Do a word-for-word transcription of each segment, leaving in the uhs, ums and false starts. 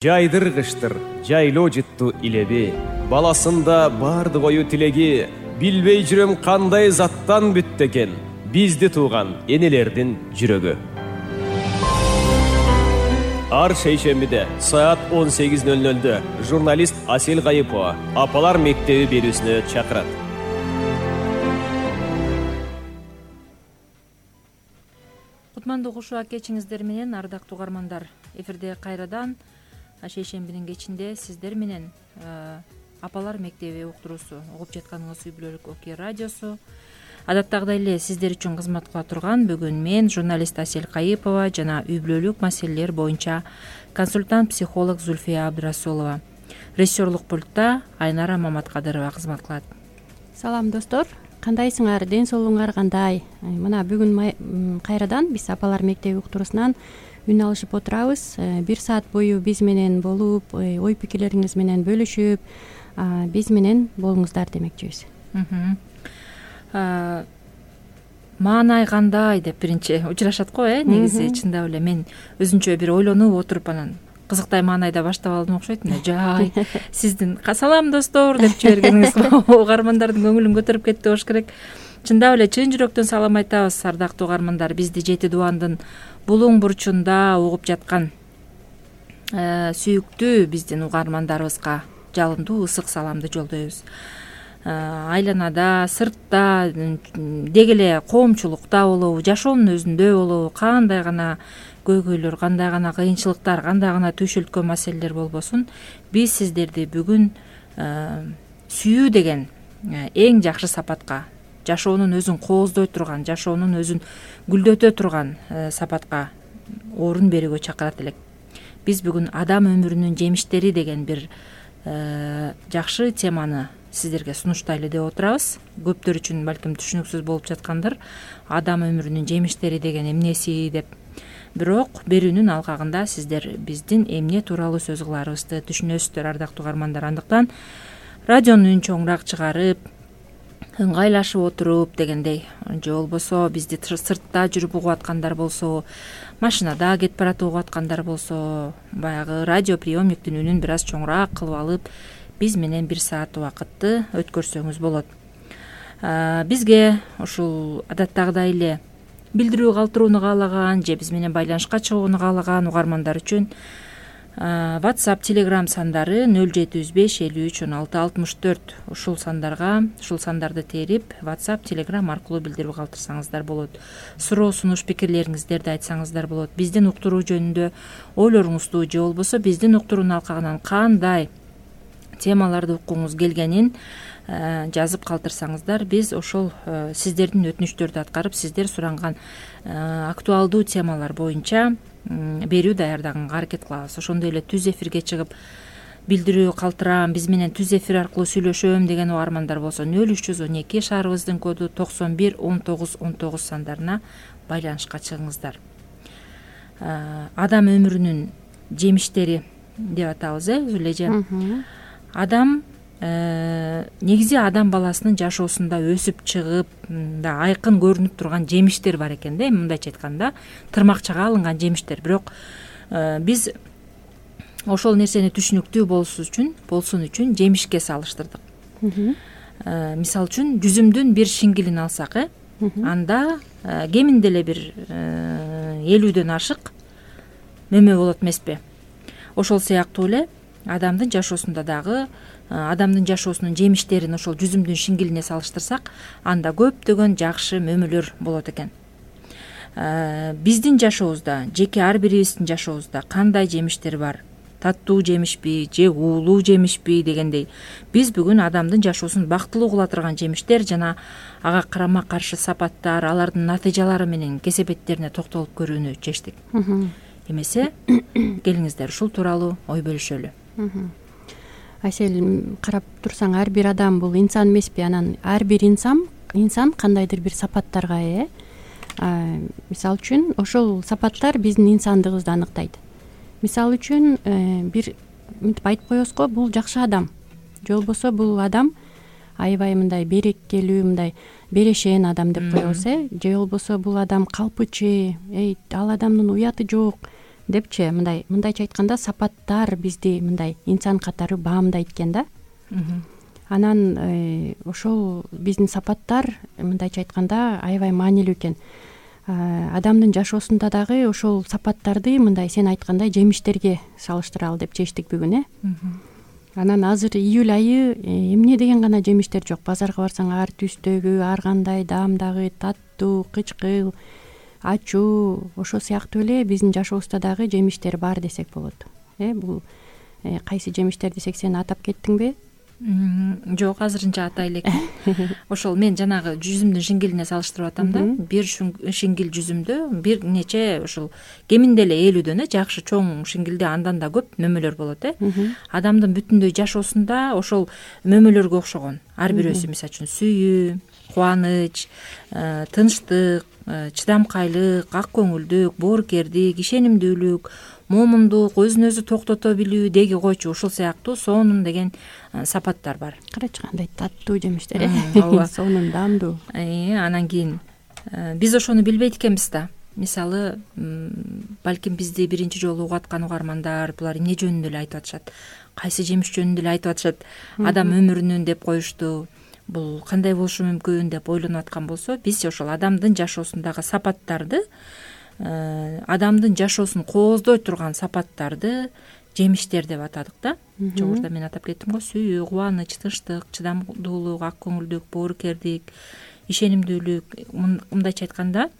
Жайдыр кыштыр, жайлоо жытту илеби, баласында барды кою тилеги, билбей жүрөм кандай заттан бүттү экен, бизди тууган энелердин жүрөгү. Ар шейшембиде саат он сегиз ноль нольдө журналист Асель Кайыпова Апалар мектеби берүүсүнө чакырат. Кутмандуу кушуа кечиңиздер менен, ардактуу угармандар. Эфирде кайрадан шейшембинин кечинде сиздер менен Апалар мектеби уктуруусу угуп жатканыңыз үй бүлөлүк Оке радиосу. Адаттагыдай эле сиздер үчүн кызмат кыла турган бүгүн мен журналист Асель Кайыпова жана үй бүлөлүк маселелер боюнча консультант психолог Зульфия Абдрасулова. Режиссерлук пультта Айнара Маматкадырова кызмат кылат. Салам достор, кандайсыңар, ден соолугуңар кандай? Мына бүгүн кайрадан биз Апалар мектеби уктуруусунан үн алышып отурабыз. Бир саат бою биз менен болуп, ой пикирлериңиз менен бөлүшүп, биз менен болуңуздар демекчибиз. Маанай кандай деп биринчи учурашат го, э негизи чындап эле мен өзүнчө бир ойлонуп отуруп анан кызыктай маанайда баштап алдым окшойт. Жай сиздин салам достор деп жибергениңиз угармандардын көңүлүн көтөрүп кетти болуш керек. Чындап эле чын жүрөктөн салам айтабыз, ардактуу угармандар. Бизди жети дубандын булуң бурчунда угуп жаткан сүйүктүү биздин угармандарыбызга жалындуу ысык саламды жолдойбуз. Айланада, сыртта, деги эле коомчулукта болобу, жашоонун өзүндө болобу, кандай гана көйгөйлөр, кандай гана кыйынчылыктар, кандай гана түйшөлткөн маселелер болбосун, биз сиздерди бүгүн сүйүү деген эң жакшы сапатка, жашоонун өзүн кооздой турган, жашоонун өзүн гүлдөтө турган сапатка орун берүүгө чакырат элек. Биз бүгүн адам өмүрүнүн жемиштери деген бир жакшы теманы сиздерге сунуштайлы деп отурабыз. Көптөр үчүн балким түшүнүксүз болуп жаткандыр. Адам өмүрүнүн жемиштери деген эмнеси деп. Бирок берүүнүн алкагында сиздер биздин эмне тууралуу сөз кыларыбызды түшүнөсүздөр, ардактуу угармандар. Андыктан радиону үн чоңураак чыгарып, ыңгайлашып отуруп дегендей, же болбосо бизди сыртта жүрүп угуп аткандар болсо, машинада кетип баратып угуп аткандар болсо, баягы радио приемниктин үнүн бир аз чоңураак кылып алып, биз менен бир саат убакытты өткөрсөңүз болот. Бизге ушул адаттагыдай эле билдирүү калтырууну каалаган же биз менен байланышка чыгууну каалаган угармандар үчүн WhatsApp, Telegram сандары нөл жети жүз беш элүү үч он алты алтымыш төрт. Ушул сандарга, ушул сандарды терип, WhatsApp, Telegram аркылуу билдирүү калтырсаңыздар болот. Суроо, сунуш, пикирлериңиздерди айтсаңыздар болот. Биздин уктуруу жөнүндө ойлоруңузду же болбосо биздин уктуруунун алкагынан кандай темаларды уккуңуз келгенин жазып калтырсаңыздар, биз ошол сиздердин өтүнүчтөрдү аткарып, сиздер суранган актуалдуу темалар боюнча берүү даярдаганга аракет кылабыз. Ошондой эле түз эфирге чыгып билдирүү калтырам, биз менен түз эфир аркылуу сүйлөшөм деген угармандар болсо, нөл үч жүз он эки шаарыбыздын коду токсон бир он тогуз он тогуз сандарына байланышка чыгыңыздар. Адам өмүрүнүн жемиштери деп атабыз, э Зулежа. Адам негизи адам баласынын жашоосунда өсүп чыгып, да айкын көрүнүп турган жемиштер бар экен да, мындайча айтканда, тырмакчага алынган жемиштер. Бирок биз ошол нерсени түшүнүктүү болсун үчүн, болсун үчүн жемишке салыштырдык. Мисалы үчүн жүзүмдүн бир шингилин алсак, э анда кеминде эле бир элүүдөн ашык мөмө болот эмеспи? Ошол сыяктуу эле адамдын жашоосунда дагы адамдын жашоосунун жемиштерин ошол жүзүмдүн шингилине салыштырсак, анда көптөгөн жакшы мөмөлөр болот экен. Биздин жашообузда, жеке ар бирибиздин жашообузда кандай жемиштер бар? Таттуу жемишпи, же уулуу жемишпи дегендей, биз бүгүн адамдын жашоосун бактылуу кыла турган жемиштер жана ага карама каршы сапаттар, алардын натыйжалары менен кесепеттерине токтолуп көрүүнү чечтик. Эмесе, келиңиздер ушул тууралуу ой бөлүшөлү. Асель, карап турсаң, ар бир адам бул инсан эмеспи? Анан ар бир инсан инсан кандайдыр бир сапаттарга ээ. Мисалы үчүн, ошол сапаттар биздин инсандыгыбызды аныктайт. Мисалы үчүн, бир мынтип айтып коебуз го, бул жакшы адам. Же болбосо бул адам аябай мындай берекелүү, мындай берешен адам деп коебуз, э? Же болбосо бул адам калпычы, эй, ал адамдын уяты жок, депчи мындай мындайча айтканда сапаттар бизди мындай инсан катары баамдайт экен да. Анан ошол биздин сапаттар мындайча айтканда аябай маанилүү экен. Адамдын жашоосунда дагы ошол сапаттарды мындай сен айткандай жемиштерге салыштыралы деп чечтик бүгүн, э. Анан азыр июль айы эмне деген гана жемиштер жок. Базарга барсаң ар түстөгү, ар кандай даамдагы, таттуу, кычкыл, ачуу, ошо сыяктуу эле биздин жашообузда дагы жемиштер бар десек болот. Э бул кайсы жемиштер десек сен атап кеттиңби? Жок, азырынча атай элекмин. Ошол мен жанагы жүзүмдүн шиңгилине салыштырып атам да. Бир шиңгил жүзүмдө бир нече ошол кеминде эле элүүдөн, э, жакшы чоң шиңгилде андан да көп мөмөлөр болот, э. Адамдын бүтүндөй жашоосунда ошол мөмөлөргө окшогон ар бирөөсү, мисалы үчүн сүйүү, кубаныч, тынчтык, чыдамкайлык, ак көңүлдүк, боорукердик, ишенимдүүлүк, момундук, өзүн өзү токтото билүү деги койчу ушул сыяктуу сонун деген сапаттар бар. Карачы кандай таттуу жемиштер, э. Сонун, даамдуу. Анан кийин биз ошону билбейт экенбиз да. Мисалы, балким бизди биринчи жолу угаткан угармандар булар эмне жөнүндө эле айтып атышат? Кайсы жемиш жөнүндө эле айтып атышат? Адам өмүрүнүн деп коюшту. Бул кандай болушу мүмкүн деп ойлонуп аткан болсо, биз ошол адамдын жашоосундагы сапаттарды, адамдын жашоосун кооздой турган сапаттарды жемиштер деп атадык да. Жогоруда мен атап кеттим го: сүйүү, кубаныч, тынчтык, чыдамдуулук, ак көңүлдүк, боорукердик, ишенимдүүлүк. Мындайча айтканда,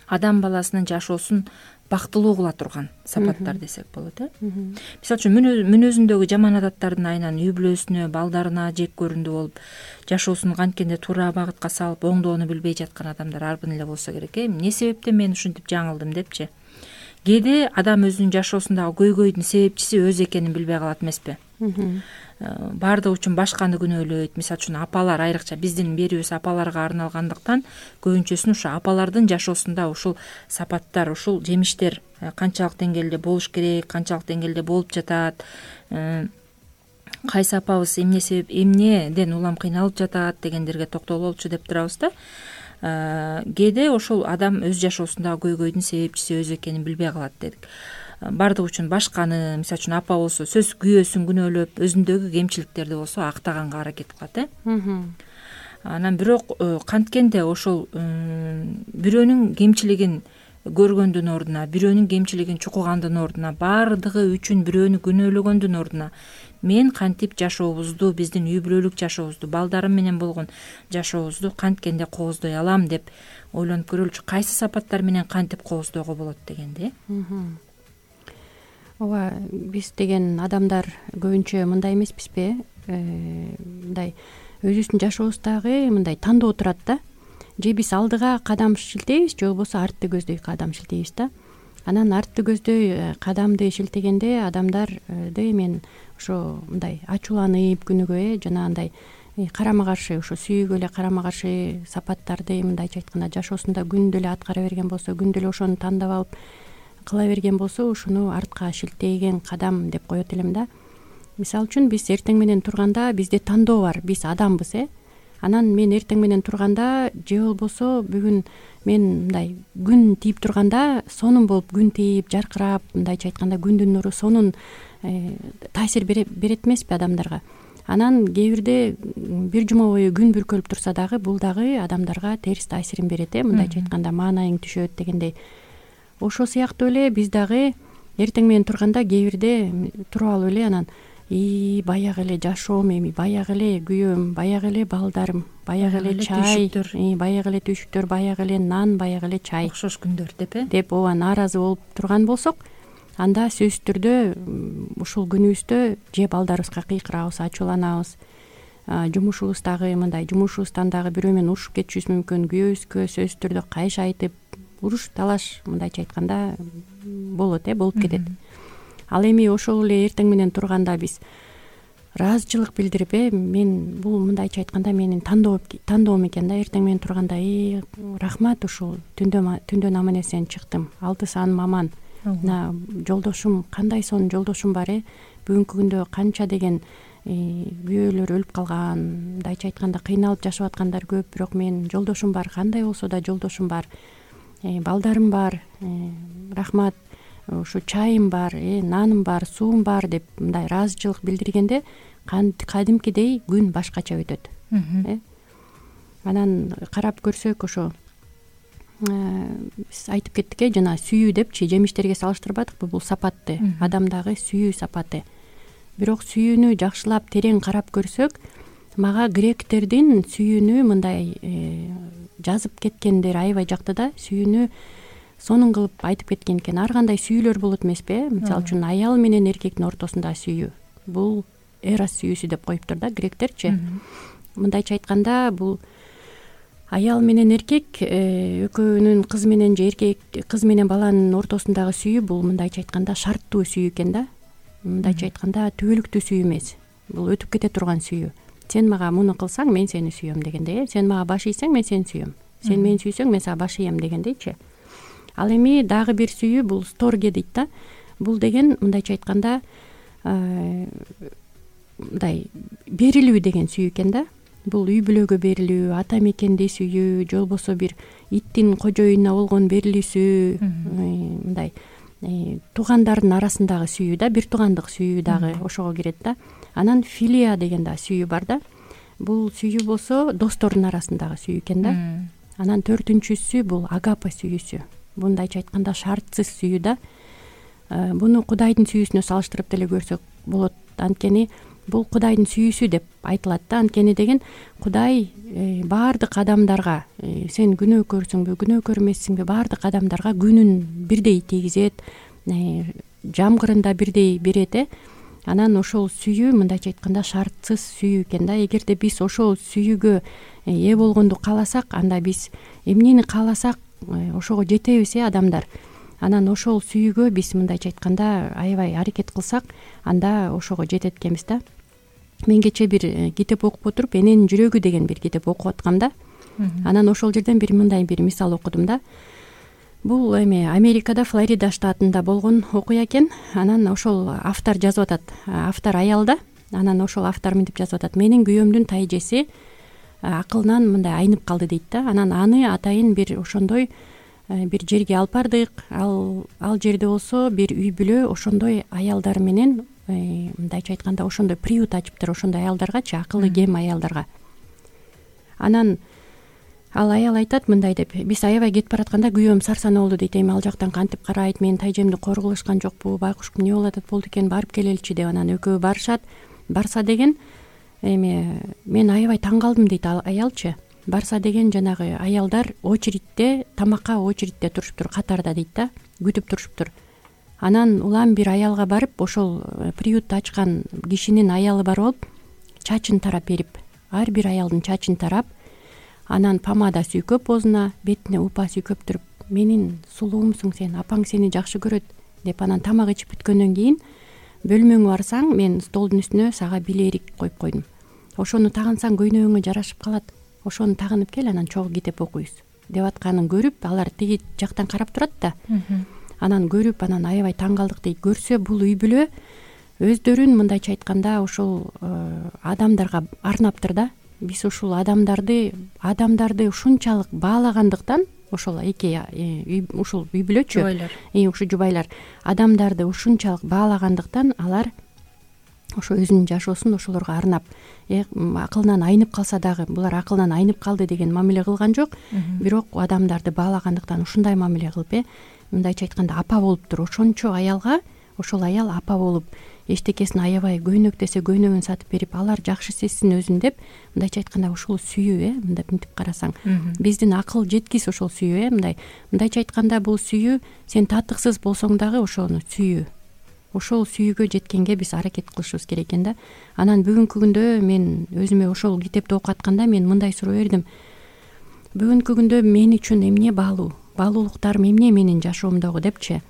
адам баласынын жашоосун бактылуу кыла турган сапаттар десек болот, э. Мисалы үчүн мүнөзүндөгү жаман адаттардын айынан үй бүлөсүнө, балдарына жек көрүндү болуп, жашоосун канткенде туура багытка салып, оңдоону билбей жаткан адамдар арбын эле болсо керек, э. Эмне себептен мен ушинтип жаңылдым депчи. Кээде адам өзүнүн жашоосундагы көйгөйдүн себепчиси өзү экенин билбей калат эмеспи? Баардыгы үчүн башканы күнөөлөйт. Мисалы үчүн апалар, айрыкча биздин берүүбүз апаларга арналгандыктан, көбүнчөсүн ушу апалардын жашоосунда ушул сапаттар, ушул жемиштер канчалык деңгээлде болуш керек, канчалык деңгээлде болуп жатат, кайсы апабыз эмне себеп, эмнеден улам кыйналып жатат дегендерге токтололчу деп турабыз да. Кээде ошол адам өз жашоосундагы көйгөйдүн себепчиси өзү экенин билбей калат дедик. Баардыгы үчүн башканы, мисалы үчүн апа болсо сөз күйөөсүн күнөөлөп, өзүндөгү кемчиликтерди болсо актаганга аракет кылат, э. Анан бирок канткенде ошол бирөөнүн кемчилигин көргөндүн ордуна, бирөөнүн кемчилигин чукугандын ордуна, баардыгы үчүн бирөөнү күнөөлөгөндүн ордуна мен кантип жашообузду, биздин үй бүлөлүк жашообузду, балдарым менен болгон жашообузду канткенде кооздой алам деп ойлонуп көрөлүчү. Кайсы сапаттар менен кантип кооздоого болот дегенди. Ооба, биз деген адамдар көбүнчө мындай эмеспизби? Мындай өзүбүздүн жашообуздагы мындай тандоо турат да. Же биз алдыга кадам шилтейбиз, же болбосо артты көздөй кадам шилтейбиз да. Анан артты көздөй кадамды шилтегенде адамдарды мен ошо мындай ачууланып күнүгө, э, жанагындай карама каршы, ошо сүйүүгө эле карама каршы сапаттарды мындайча айтканда жашоосунда күндө эле аткара берген болсо, күндө эле ошону тандап алып кыла берген болсо, ушуну артка шилтеген кадам деп коет элем да. Мисалы үчүн биз эртең менен турганда бизде тандоо бар, биз адамбыз, э. Анан мен эртең менен турганда же болбосо бүгүн мен мындай күн тийип турганда сонун болуп күн тийип жаркырап, мындайча айтканда күндүн нуру сонун таасир берет эмеспи адамдарга. Анан кээ бирде бир жума бою күн бүркөлүп турса дагы бул дагы адамдарга терс таасирин берет, э, мындайча айтканда маанайың түшөт дегендей. Ошол сыяктуу эле биз дагы эртең менен турганда кээ бирде туруп алып эле анан и баягы эле жашоом эми, баягы эле күйөөм, баягы эле балдарым, баягы эле чай, баягы эле түйшүктөр, баягы эле нан, баягы эле чай, окшош күндөр деп, э, деп ооба нааразы болуп турган болсок, анда сөзсүз түрдө ушул күнүбүздө же балдарыбызга кыйкырабыз, ачууланабыз, жумушубуздагы мындай жумушубуздан дагы бирөө менен урушуп кетишибиз мүмкүн, күйөөбүзгө сөзсүз түрдө кайшы айтып, уруш талаш мындайча айтканда болот, э, болуп кетет. Ал эми ошол эле эртең менен турганда биз ыраазычылык билдирип, э, мен бул мындайча айтканда менин тандоо тандоом экен да, эртең менен турганда и рахмат, ушул түндө түндөн аман эсен чыктым, алты сааным аман, мына жолдошум кандай сонун жолдошум бар, э, бүгүнкү күндө канча деген күйөөлөр өлүп калган, мындайча айтканда кыйналып жашап аткандар көп, бирок мен жолдошум бар, кандай болсо да жолдошум бар, балдарым бар, рахмат. ушу чайым бар, э наным бар, суум бар деп мындай ыраазычылык билдиргенде кадимкидей күн башкача өтөт. э Анан карап көрсөк ошо биз айтып кеттик э жана сүйүү депчи жемиштерге салыштырбадыкпы, бул сапатты, адамдагы сүйүү сапаты. Бирок сүйүүнү жакшылап терең карап көрсөк, мага гректердин сүйүүнү мындай жазып кеткендер аябай жакты да. Сүйүүнү сонун кылып айтып кеткен экен. Ар кандай сүйүүлөр болот эмеспи? Мисалы үчүн аял менен эркектин ортосундагы сүйүү, бул эрос сүйүүсү деп коюптур да гректерчи. Мындайча айтканда, бул аял менен эркек экөөнүн, кыз менен же эркек кыз менен баланын ортосундагы сүйүү бул мындайча айтканда шарттуу сүйүү экен да. Мындайча айтканда түбөлүктүү сүйүү эмес. Бул өтүп кете турган сүйүү. Сен мага муну кылсаң, мен сени сүйөм дегендей. Сен мага баш ийсең, мен сени сүйөм. Сен мени сүйсөң, мен сага баш ийем дегендейчи. Ал эми дагы бир сүйүү бул сторге дейт да. Бул деген мындайча айтканда мындай берилүү деген сүйүү экен да. Бул үй бүлөгө берилүү, ата мекенди сүйүү, же болбосо бир иттин кожоюнуна болгон берилүүсү, мындай туугандардын арасындагы сүйүү да, бир туугандык сүйүү дагы ошого кирет да. Анан филия деген да сүйүү бар да. Бул сүйүү болсо достордун арасындагы сүйүү экен да. Анан төртүнчүсү бул агапа сүйүүсү. Мындайча айтканда шартсыз сүйүү да. Буну Кудайдын сүйүүсүнө салыштырып деле көрсөк болот. Анткени бул Кудайдын сүйүүсү деп айтылат да. Анткени деген Кудай баардык адамдарга, сен күнөөкөрсүңбү, күнөөкөр эмессиңби, баардык адамдарга күнүн бирдей тийгизет, жамгырында бирдей берет э. Анан ошол сүйүү мындайча айтканда шартсыз сүйүү экен да. Эгерде биз ошол сүйүүгө ээ болгонду кааласак, анда биз эмнени кааласак ошого жетебиз э адамдар. Анан ошол сүйүүгө биз мындайча айтканда аябай аракет кылсак, анда ошого жетет экенбиз да. Мен кече бир китеп окуп отуруп, Эненин жүрөгү деген бир китеп окуп аткам да. Анан ошол жерден бир мындай бир мисал окудум да. Бул эми Америкада, Флорида штатында болгон окуя экен. Анан ошол автор жазып атат. Автор аял да. Анан ошол автор мынтип жазып атат: менин күйөөмдүн тайжеси акылынан мындай айнып калды дейт да. Анан аны атайын бир ошондой бир жерге алып бардык. Ал ал жерде болсо бир үй бүлө ошондой аялдар менен мындайча айтканда ошондой приют ачыптыр, ошондой аялдаргачы, акылы кем аялдарга. Анан ал аял айтат мындай деп: биз аябай кетип баратканда күйөөм сарсана болду дейт. Эми ал жактан кантип карайт, менин тайжемди кор кылышкан жокпу, байкушкум эмне болуп атат, болду экен, барып келеличи деп. Анан экөө барышат. Барса деген эми мен аябай таң калдым дейт ал аялчы. Барса деген жанагы аялдар очередьте, тамакка очередьте турушуптур, катарда дейт да, күтүп турушуптур. Анан улам бир аялга барып, ошол приютты ачкан кишинин аялы бар болуп, чачын тарап берип, ар бир аялдын чачын тарап, анан помада сүйкөп оозуна, бетине упа сүйкөптүрүп: менин сулуумсуң сен, апаң сени жакшы көрөт деп. Анан тамак ичип бүткөндөн кийин бөлмөңө барсаң, мен столдун үстүнө сага билерик коюп койдум. Ошону тагынсаң көйнөгүңө жарашып калат. Ошону тагынып кел, анан чогуу китеп окуйбуз деп атканын көрүп, алар тиги жактан карап турат да. Анан көрүп, анан аябай таң калдык дейт. Көрсө бул үй бүлө өздөрүн мындайча айтканда ошол адамдарга арнаптыр да. Биз ушул адамдарды адамдарды ушунчалык баалагандыктан, ошол эки ушул үй бүлөчү, жубайлар, ушул жубайлар адамдарды ушунчалык баалагандыктан алар ошо өзүнүн жашоосун ошолорго арнап, акылынан айнып калса дагы, булар акылынан айнып калды деген мамиле кылган жок, бирок адамдарды баалагандыктан ушундай мамиле кылып, э мындайча айтканда апа болуптур. Ошончо аялга ошол аял апа болуп, эчтекесин аябай көйнөк десе көйнөгүн сатып берип, алар жакшы сезсин өзүн деп, мындайча айтканда ушул сүйүү, э мындай мынтип карасаң, биздин акыл жеткис ошол сүйүү, э мындай мындайча айтканда бул сүйүү сен татыксыз болсоң дагы ошону сүйүү. Ошол сүйүүгө жеткенге биз аракет кылышыбыз керек экен да. Анан бүгүнкү күндө мен өзүмө ошол китепти окуп атканда мен мындай суроо бердим: бүгүнкү күндө мен үчүн эмне баалуу, баалуулуктарым эмне менин жашоомдогу депчи.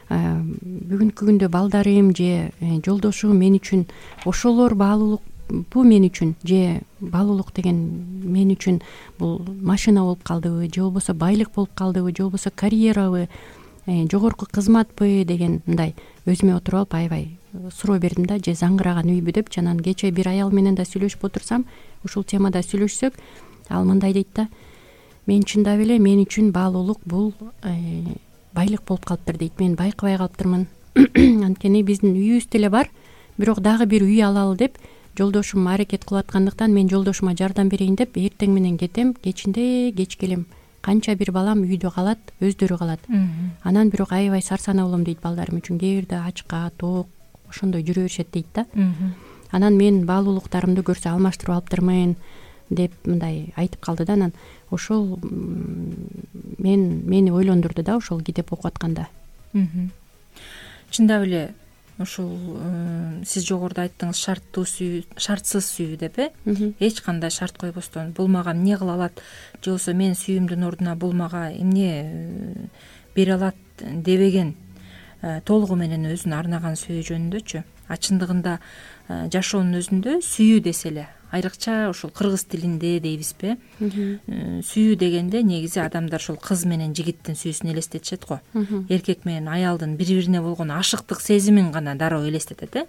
Бүгүнкү күндө балдарым же жолдошум мен үчүн ошолор баалуулук, бул мен үчүн, же баалуулук деген мен үчүн бул машина болуп калдыбы, же болбосо байлык болуп калдыбы, же болбосо карьерабы, жогорку кызматпы деген мындай өзүмө отуруп алып аябай суроо бердим да. Же заңгыраган үйбү депчи. Анан кече бир аял менен да сүйлөшүп отурсам, ушул темада сүйлөшсөк, ал мындай дейт да: мен чындап эле мен үчүн баалуулук бул байлык болуп калыптыр дейт. Мен байкабай калыптырмын. Анткени биздин үйүбүз деле бар, бирок дагы бир үй алалы деп жолдошум аракет кылып аткандыктан мен жолдошума жардам берейин деп эртең менен кетем, кечинде кеч келем. Канча бир балам үйдө калат, өздөрү калат. Анан бирок аябай сарсанаа болом дейт балдарым үчүн. Кээ бирде ачка, тоок ошондой жүрө беришет дейт да. Анан мен баалуулуктарымды көрсө алмаштырып алыптырмын деп мындай айтып калды да. Анан ошол мен мени ойлондурду да ошол китеп окуп атканда. Чындап эле ушул сиз жогоруда айттыңыз шарттуу сүйүү, шартсыз сүйүү деп э? Эч кандай шарт койбостон бул мага эмне кыла алат же болбосо мен сүйүүмдүн ордуна бул мага эмне бере алат дебеген, толугу менен өзүнө арнаган сүйүү жөнүндөчү. А чындыгында жашоонун өзүндө сүйүү десе эле, айрыкча ушул кыргыз тилинде дейбизби, сүйүү дегенде негизи адамдар ушул кыз менен жигиттин сүйүүсүн элестетишет го. Эркек менен аялдын бири бирине болгон ашыктык сезимин гана дароо элестетет э.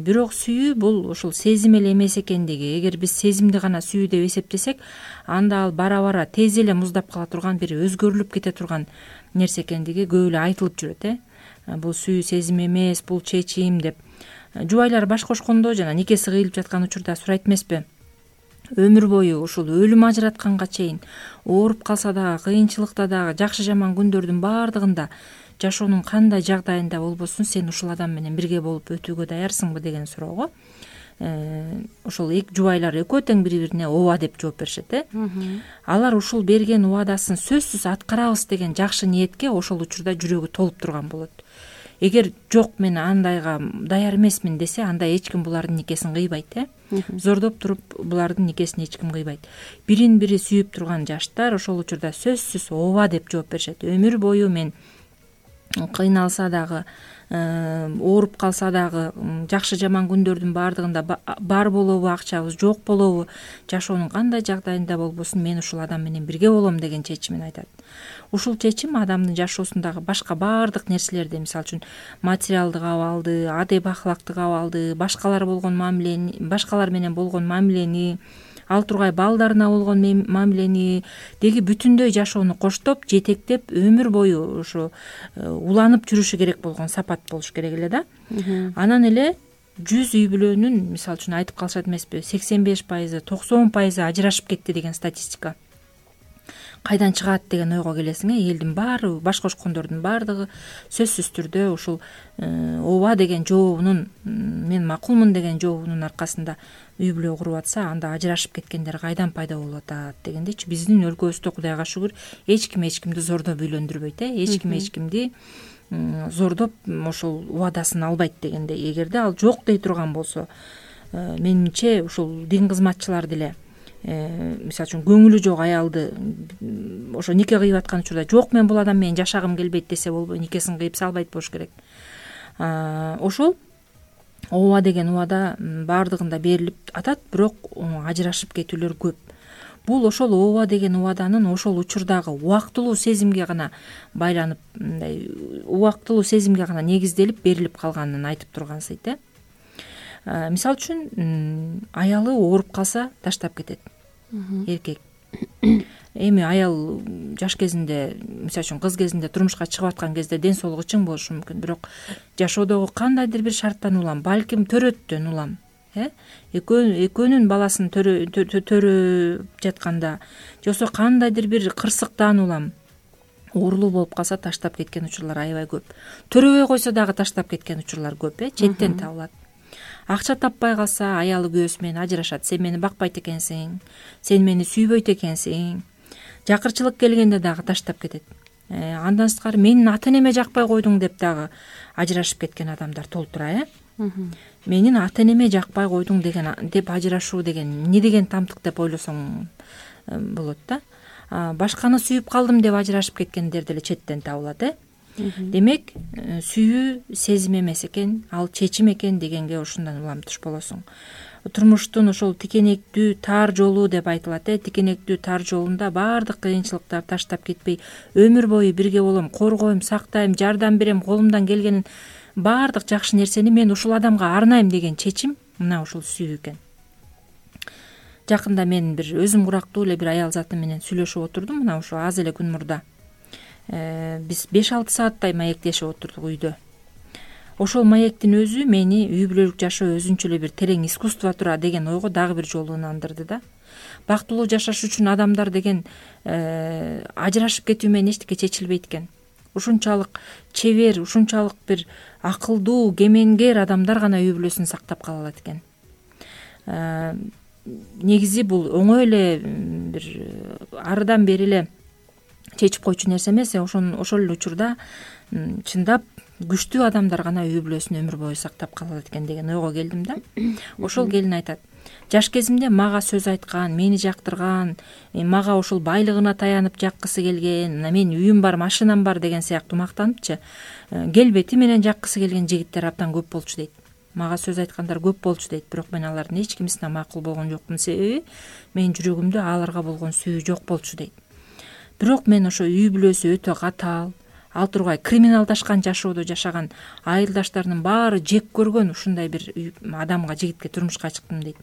Бирок сүйүү бул ушул сезим эле эмес экендиги, эгер биз сезимди гана сүйүү деп эсептесек, анда ал бара бара тез эле муздап кала турган, бир өзгөрүлүп кете турган нерсе экендиги көп эле айтылып жүрөт э. Бул сүйүү сезим эмес, бул чечим деп. Жубайлар баш кошкондо жана никеси кыйылып жаткан учурда сурайт эмеспи? Өмүр бою ушул өлүм ажыратканга чейин ооруп калса дагы, кыйынчылыкта дагы, жакшы жаман күндөрдүн баардыгында жашоонун кандай жагдайында болбосун сен ушул адам менен бирге болуп өтүүгө даярсыңбы деген суроого ошол эки жубайлар экөө тең бири бирине ооба деп жооп беришет э. Алар ушул берген убадасын сөзсүз аткарабыз деген жакшы ниетке ошол учурда жүрөгү толуп турган болот. Эгер жок мен андайга даяр эмесмин десе, анда эч ким булардын никесин кыйбайт э. Зордоп туруп булардын никесин эч ким кыйбайт. Бирин бири сүйүп турган жаштар ошол учурда сөзсүз ооба деп жооп беришет. Өмүр бою мен кыйналса дагы, ооруп калса дагы, жакшы жаман күндөрдүн баардыгында бар болобу акчабыз, жок болобу, жашоонун кандай жагдайында болбосун мен ушул адам менен бирге болом деген чечимин айтат. Ушул чечим адамдын жашоосундагы башка баардык нерселерди, мисалы үчүн материалдык абалды, адеп ахлактык абалды, башкалар болгон мамилени, башкалар менен болгон мамилени, ал тургай балдарына болгон мамилени деги бүтүндөй жашоону коштоп, жетектеп, өмүр бою ушу уланып жүрүшү керек болгон сапат болуш керек эле да. Анан эле жүз үй бүлөнүн, мисалы үчүн айтып калышат эмеспи, сексен беш пайызы, токсон пайызы ажырашып кетти деген статистика. Кайдан чыгат деген ойго келесиң э. Элдин баары, баш кошкондордун баардыгы сөзсүз түрдө ушул ооба деген жообунун, мен макулмун деген жообунун аркасында үй бүлө куруп атса, анда ажырашып кеткендер кайдан пайда болуп атат дегендечи. Биздин өлкөбүздө Кудайга шүгүр эч ким эч кимди зордоп үйлөндүрбөйт э. Эч ким эч кимди зордоп ошол убадасын албайт дегендей. Эгерде ал жок дей турган болсо, менимче ушул дин кызматчылар деле мисалы үчүн көңүлү жок аялды ошо нике кыйып аткан учурда жок мен бул адам менен жашагым келбейт десе болбой, никесин кыйып салбайт болуш керек. Ошол ооба деген убада баардыгында берилип атат, бирок ажырашып кетүүлөр көп. Бул ошол ооба деген убаданын ошол учурдагы убактылуу сезимге гана байланып, мындай убактылуу сезимге гана негизделип берилип калганын айтып тургансыйт э. Мисалы үчүн аялы ооруп калса таштап кетет эркек. Эми аял жаш кезинде, мисалы үчүн кыз кезинде турмушка чыгып аткан кезде ден соолугу чың болушу мүмкүн, бирок жашоодогу кандайдыр бир шарттан улам, балким төрөттөн улам э экөөнүн баласын төрөп жатканда же болбосо кандайдыр бир кырсыктан улам оорулуу болуп калса таштап кеткен учурлар аябай көп. Төрөбөй койсо дагы таштап кеткен учурлар көп э, четтен табылат. Акча таппай калса аялы күйөөсү менен ажырашат. Сен мени бакпайт экенсиң, сен мени сүйбөйт экенсиң. Жакырчылык келгенде дагы таштап кетет. Андан сырткары менин ата энеме жакпай койдуң деп дагы ажырашып кеткен адамдар толтура э. Менин ата энеме жакпай койдуң деген деп ажырашуу деген эмне деген тамтык деп ойлосоң болот да. Башканы сүйүп калдым деп ажырашып кеткендер деле четтен табылат э. Демек, сүйүү сезим эмес экен, ал чечим экен дегенге ушундан уламтыш болосуң. Турмуштун ошол тикенектүү тар жолу деп айтылат э. Тикенектүү тар жолунда баардык кыйынчылыктар таштап кетпей, өмүр бою бирге болом, коргойм, сактайм, жардам берем, колумдан келгенин баардык жакшы нерсени мен ушул адамга арнайм деген чечим мына ушул сүйүү экен. Жакында мен бир өзүм курактуу эле бир аял заты менен сүйлөшүп отурдум, мына ушул аз эле күн мурда. биз беш алты сааттай маектешип отурдук үйдө. Ошол маектин өзү мени үй бүлөлүк жашоо өзүнчө эле бир терең искусство тура деген ойго дагы бир жолу ынандырды да. Бактылуу жашаш үчүн адамдар деген ажырашып кетүү менен эчтеке чечилбейт экен. Ушунчалык чебер, ушунчалык бир акылдуу, кемеңгер адамдар гана үй бүлөсүн сактап кала алат экен. Негизи бул оңой эле бир арыдан бери эле чечип койчу нерсе эмес. Ошон ошол эле учурда чындап күчтүү адамдар гана үй бүлөсүн өмүр бою сактап кала алат экен деген ойго келдим да. Ошол келин айтат: жаш кезимде мага сөз айткан, мени жактырган, мага ушул байлыгына таянып жаккысы келген, менин үйүм бар, машинам бар деген сыяктуу мактаныпчы келбети менен жаккысы келген жигиттер абдан көп болчу дейт. Мага сөз айткандар көп болчу дейт, бирок мен алардын эч кимисине макул болгон жокмун. Себеби менин жүрөгүмдө аларга болгон сүйүү жок болчу дейт. Бирок мен ошо үй бүлөсү өтө катаал, ал тургай криминалдашкан жашоодо жашаган айылдаштарынын баары жек көргөн ушундай бир адамга, жигитке турмушка чыктым дейт.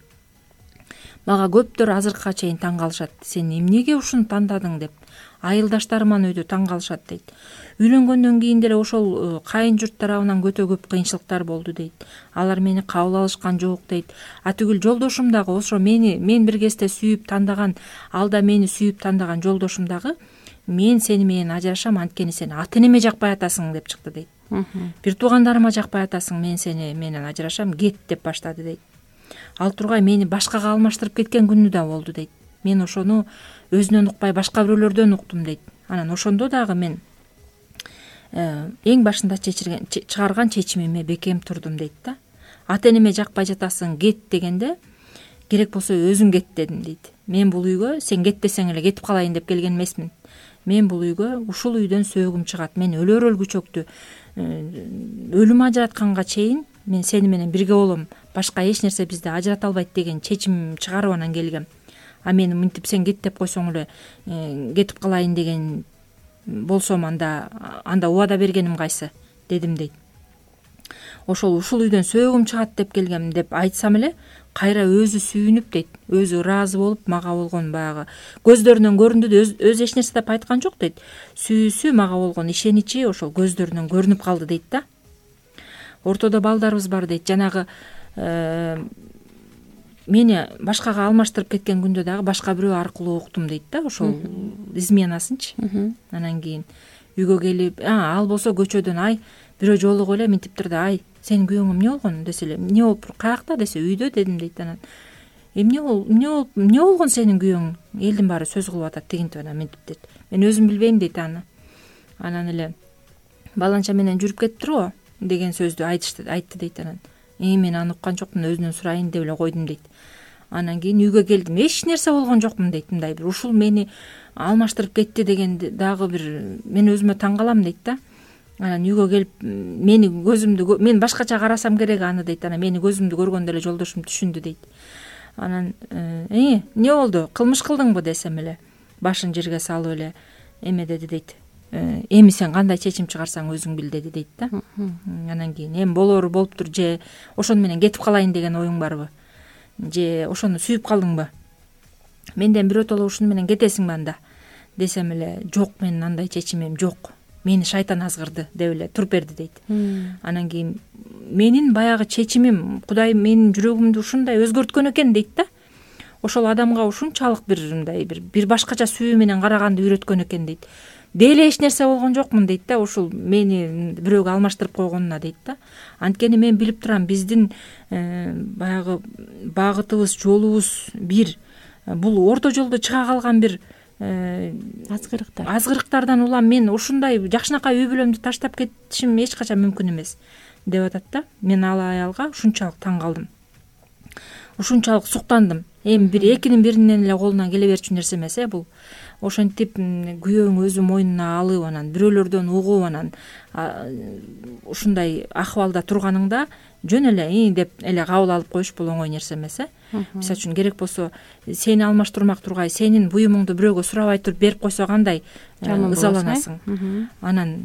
Мага көптөр азыркыга чейин таң калышат: сен эмнеге ушуну тандадың деп. Айылдаштарым аны өйдө таң калышат дейт. Үйлөнгөндөн кийин деле ошол кайын журт тарабынан өтө көп кыйынчылыктар болду дейт. Алар мени кабыл алышкан жок дейт. А түгүл жолдошум дагы ошо мени мен бир кезде сүйүп тандаган, ал да мени сүйүп тандаган жолдошум дагы: мен сени менен ажырашам, анткени сен ата энеме жакпай атасың деп чыкты дейт. Бир туугандарыма жакпай атасың, мен сени менен ажырашам, кет деп баштады дейт. Ал тургай мени башкага алмаштырып кеткен күнү да болду дейт. Мен ошону өзүнөн укпай башка бирөөлөрдөн уктум дейт. Анан ошондо дагы мен эң башында чечирген чыгарган чечимиме бекем турдум дейт да. Ата энеме жакпай жатасың, кет дегенде керек болсо өзүң кет дедим дейт. Мен бул үйгө сен кет десең эле кетип калайын деп келген эмесмин. Мен бул үйгө ушул үйдөн сөөгүм чыгат. Мен өлөр өлгүчөктү өлүм ажыратканга чейин мен сени менен бирге болом, башка эч нерсе бизди ажырата албайт деген чечим чыгарып анан келгем. А мени мынтип сен кет деп койсоң эле кетип калайын деген болсом, анда анда убада бергеним кайсы дедим дейт. Ошол ушул үйдөн сөөгүм чыгат деп келгем деп айтсам эле кайра өзү сүйүнүп дейт, өзү ыраазы болуп, мага болгон баягы көздөрүнөн көрүндү да, өзү эч нерсе деп айткан жок дейт. Сүйүүсү, мага болгон ишеничи ошол көздөрүнөн көрүнүп калды дейт да. Ортодо балдарыбыз бар дейт. Жанагы мени башкага алмаштырып кеткен күндө дагы башка бирөө аркылуу уктум дейт да, ошол изменасынчы. Анан кийин үйгө келип, ал болсо көчөдөн: ай, бирөө жолугуп эле минтиптир да, ай, сенин күйөөңө эмне болгон десе эле, эмне болуп, каякта десе, үйдө дедим дейт. Анан эмне болуп, эмне болуп, эмне болгон сенин күйөөң, элдин баары сөз кылып атат тигинтип анан минтип дейт. Мен өзүм билбейм дейт аны. Анан эле баланча менен жүрүп кетиптир го деген сөздү айтышты, айтты дейт. Анан мен аны уккан жокмун, өзүнөн сурайын деп эле койдум дейт. Анан кийин үйгө келдим, эч нерсе болгон жокмун дейт. Мындай бир ушул мени алмаштырып кетти деген дагы бир мен өзүмө таң калам дейт да. Анан үйгө келип мени көзүмдү мен башкача карасам керек аны дейт. Анан мени көзүмдү көргөндө эле жолдошум түшүндү дейт. Анан э эмне болду, кылмыш кылдыңбы десем эле башын жерге салып эле эме деди дейт. Эми сен кандай чечим чыгарсаң өзүң бил деди дейт да. Анан кийин эми болору болуптур, же ошону менен кетип калайын деген оюң барбы, же ошону сүйүп калдыңбы, менден биротоло ушуну менен кетесиңби анда десем эле, жок, менин андай чечимим жок, мени шайтан азгырды деп эле туруп берди дейт. Анан кийин менин баягы чечимим, Кудай менин жүрөгүмдү ушундай өзгөрткөн экен дейт да. Ошол адамга ушунчалык бир мындай бир бир башкача сүйүү менен караганды үйрөткөн экен дейт. Деле эч нерсе болгон жокмун дейт да, ушул мени бирөөгө алмаштырып койгонуна дейт да. Анткени мен билип турам, биздин баягы багытыбыз, жолубуз бир. Бул орто жолдо чыга калган бир азгырыктар азгырыктардан улам мен ушундай жакшынакай үй бүлөмдү таштап кетишим эч качан мүмкүн эмес деп атат да. Мен ал аялга ушунчалык таң калдым, ушунчалык суктандым. Эми бир экинин биринен эле колунан келе берчү нерсе эмес э бул. Ошентип күйөөң өзү мойнуна алып, анан бирөөлөрдөн угуп, анан ушундай акыбалда турганыңда жөн эле и деп эле кабыл алып коюш бул оңой нерсе эмес э. Мисалы үчүн керек болсо сени алмаштырмак тургай сенин буюмуңду бирөөгө сурабай туруп берип койсо кандай ызаланасың. Анан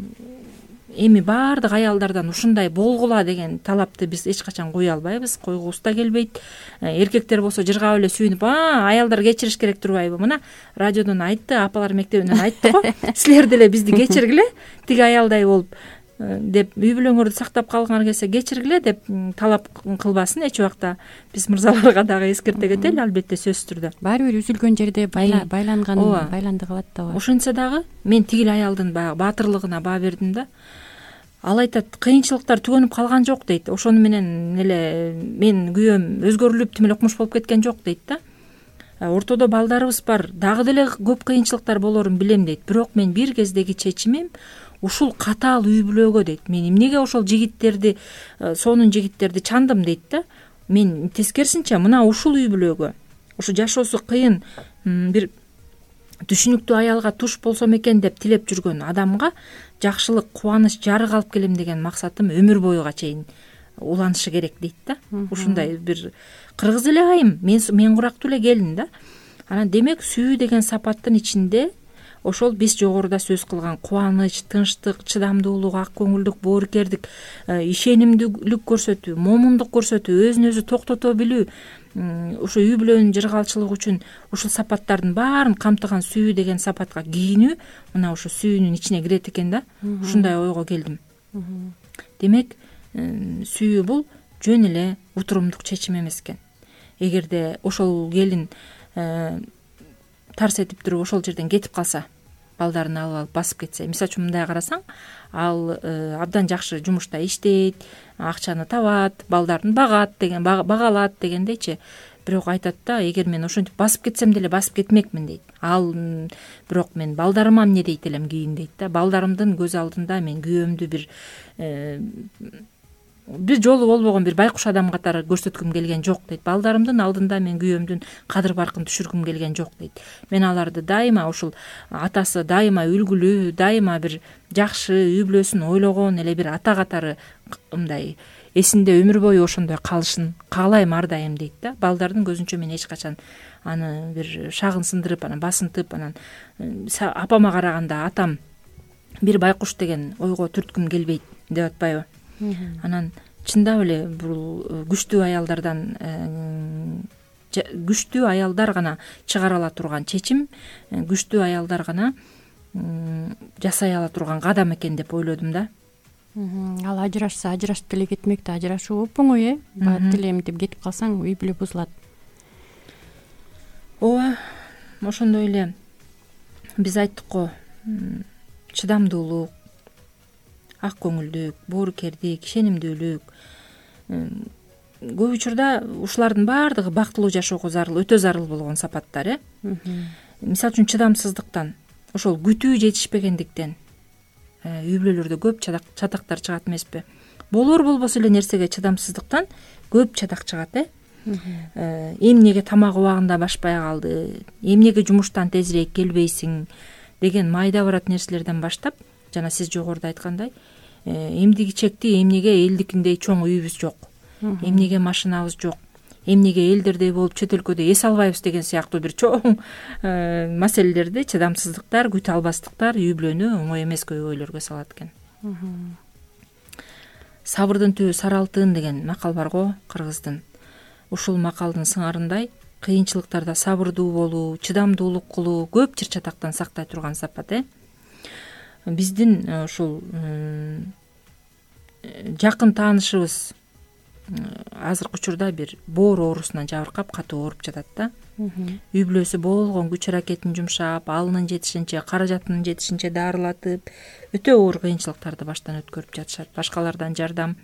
эми баардык аялдардан ушундай болгула деген талапты биз эч качан кое албайбыз, койгубуз да келбейт. Эркектер болсо жыргап эле сүйүнүп, а аялдар кечириш керек турбайбы, мына радиодон айтты, апалар мектебинен айтты го, силер деле бизди кечиргиле, тиги аялдай болуп деп үй бүлөңөрдү сактап калгыңар келсе кечиргиле деп талап кылбасын эч убакта. Биз мырзаларга дагы эскерте кетели, албетте, сөзсүз түрдө. Баары бир үзүлгөн жерде байланган байланды калат да. Ошентсе дагы мен тигил аялдын баягы баатырлыгына баа бердим да. Ал айтат, кыйынчылыктар түгөнүп калган жок дейт. Ошону менен эле мен күйөөм өзгөрүлүп тим эле окмуш болуп кеткен жок дейт да. Ортодо балдарыбыз бар, дагы деле көп кыйынчылыктар болорун билем дейт. Бирок мен бир кездеги чечимим ушул катаал үй бүлөгө дейт. Мен эмнеге ошол жигиттерди, сонун жигиттерди чандым дейт да. Мен тескерисинче мына ушул үй бүлөгө, ушу жашоосу кыйын бир түшүнүктүү аялга туш болсом экен деп тилеп жүргөн адамга жакшылык, кубаныч, жарык алып келем деген максатым өмүр боюга чейин уланышы керек дейт да. Ушундай бир кыргыз эле айым, мен мен курактуу эле келин да. Анан демек сүйүү деген сапаттын ичинде ошол биз жогоруда сөз кылган кубаныч, тынчтык, чыдамдуулук, ак көңүлдүк, боорукердик, ишенимдүүлүк көрсөтүү, момундук көрсөтүү, өзүн өзү токтото билүү, ушу үй бүлөнүн жыргалчылыгы үчүн ушул сапаттардын баарын камтыган сүйүү деген сапатка кийинүү мына ушу сүйүүнүн ичине кирет экен да. Ушундай ойго келдим. Демек сүйүү бул жөн эле утурумдук чечим эмес экен. Эгерде ошол келин тарс этип туруп ошол жерден кетип калса, балдарын алып алып басып кетсе, мисалы үчүн мындай карасаң, ал абдан жакшы жумушта иштейт, акчаны табат, балдарын багат деген, бага алат дегендейчи. Бирок айтат да, эгер мен ошентип басып кетсем деле басып кетмекмин дейт. Ал бирок мен балдарыма эмне дейт элем кийин дейт да. Балдарымдын көз алдында мен күйөөмдү бир бир жолу болбогон бир байкуш адам катары көрсөткүм келген жок дейт. Балдарымдын алдында мен күйөөмдүн кадыр баркын түшүргүм келген жок дейт. Мен аларды дайыма ушул атасы дайыма үлгүлүү, дайыма бир жакшы үй бүлөсүн ойлогон эле бир ата катары мындай эсинде өмүр бою ошондой калышын каалайм ар дайым дейт да. Балдардын көзүнчө мен эч качан аны бир шагын сындырып, анан басынтып, анан апама караганда атам бир байкуш деген ойго түрткүм келбейт деп атпайбы. Анан чындап эле бул күчтүү аялдардан күчтүү аялдар гана чыгара ала турган чечим, күчтүү аялдар гана жасай ала турган кадам экен деп ойлодум да. Ал ажырашса ажырашып деле кетмек да, ажырашуу оп-оңой э. Бат делем деп кетип калсаң үй бүлө бузулат. Ооба, ошондой эле биз айттык го, чыдамдуулук, ак көңүлдүк, боорукердик, ишенимдүүлүк. Көп учурда ушулардын баардыгы бактылуу жашоого зарыл, өтө зарыл болгон сапаттар э. Мисалы үчүн чыдамсыздыктан, ошол күтүү жетишпегендиктен үй бүлөлөрдө көп чатактар чыгат эмеспи? Болор болбосо эле нерсеге чыдамсыздыктан көп чатак чыгат э. Эмнеге тамак убагында башпай калды, эмнеге жумуштан тезирээк келбейсиң деген майда барат нерселерден баштап, жана сиз жогоруда айткандай, эмдиги чекти эмнеге элдикиндей чоң үйүбүз жок, эмнеге машинабыз жок, эмнеге элдердей болуп чет өлкөдө эс албайбыз деген сыяктуу бир чоң маселелерди, чыдамсыздыктар, күтө албастыктар үй бүлөнү оңой эмес көйгөйлөргө салат экен. Сабырдын түбү сары алтын деген макал бар го кыргыздын. Ушул макалдын сыңарындай кыйынчылыктарда сабырдуу болуу, чыдамдуулук кылуу көп чыр чатактан сактай турган сапат э. Биздин ушул жакын таанышыбыз азыркы учурда бир боор оорусунан жабыркап катуу ооруп жатат да. Үй бүлөсү болгон күч аракетин жумшап, алынын жетишинче, каражатынын жетишинче дарылатып, өтө оор кыйынчылыктарды баштан өткөрүп жатышат. Башкалардан жардам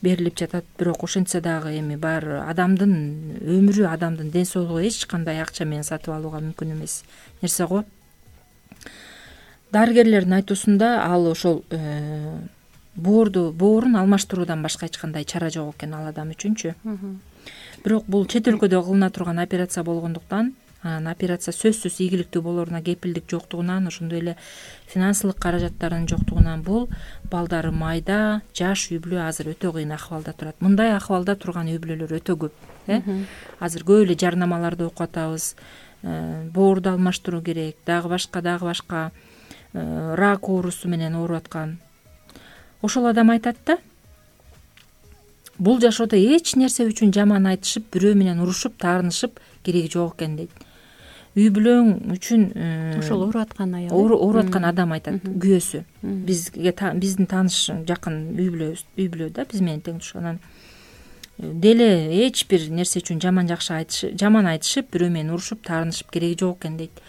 берилип жатат, бирок ошентсе дагы эми баары адамдын өмүрү, адамдын ден соолугу эч кандай акча менен сатып алууга мүмкүн эмес нерсе го. Дарыгерлердин айтуусунда ал ошол боорду, боорун алмаштыруудан башка эч кандай чара жок экен ал адам үчүнчү. Бирок бул чет өлкөдө кылына турган операция болгондуктан, анан операция сөзсүз ийгиликтүү болоруна кепилдик жоктугунан, ошондой эле финансылык каражаттарынын жоктугунан бул балдары майда, жаш үй бүлө азыр өтө кыйын акыбалда турат. Мындай акыбалда турган үй бүлөлөр өтө көп э. Азыр көп эле жарнамаларды окуп атабыз. Боорду алмаштыруу керек, дагы башка, дагы башка рак оорусу менен ооруп аткан. ошол адам айтат да, бул жашоодо эч нерсе үчүн жаман айтышып, бирөө менен урушуп, таарынышып кереги жок экен дейт. Үй бүлөң үчүн ошол ооруп аткан аял, ооруп аткан адам айтат, күйөөсү. Бизге биздин тааныш жакын үй бүлөбүз, үй бүлө да, биз менен тең туш. Анан деле эч бир нерсе үчүн жаман жакшы айтышып, жаман айтышып, бирөө менен урушуп, таарынышып кереги жок экен дейт.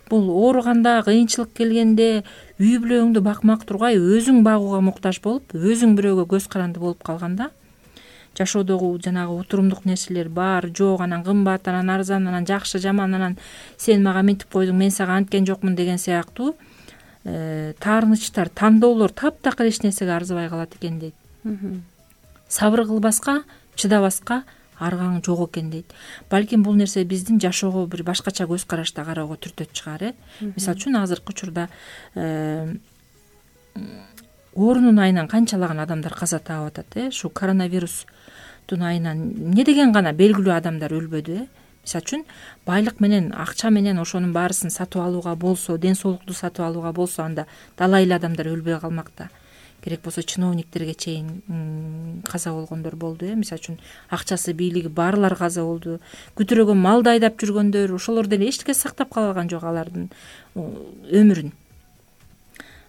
Бул ооруганда, кыйынчылык келгенде үй бүлөңдү бакмак тургай өзүң багууга муктаж болуп, өзүң бирөөгө көз каранды болуп калганда, жашоодогу жанагы утурумдук нерселер бар, жок, анан кымбат, анан арзан, анан жакшы, жаман, анан сен мага минтип койдуң, мен сага анткен жокмун деген сыяктуу таарынычтар, тандоолор таптакыр эч нерсеге арзыбай калат экен дейт. Сабыр кылбаска, чыдабаска аргаң жок экен дейт. Балким бул нерсе биздин жашоого бир башкача көз карашта кароого түртөт чыгар, э. Мисалы үчүн азыркы учурда оорунун айынан канчалаган адамдар каза таап атат, э. Ушу коронавирустун айынан эмне деген гана белгилүү адамдар өлбөдү, э. Мисалы үчүн байлык менен, акча менен ошонун баарысын сатып алууга болсо, ден соолукту сатып алууга болсо, анда далай эле адамдар өлбөй калмакта. Керек болсо чиновниктерге чейин каза болгондор болду, э. Мисалы үчүн акчасы, бийлиги барлар каза болду. Күтүрөгөн малды айдап жүргөндөр, ошолор деле эчтеке сактап кала алган жок алардын өмүрүн.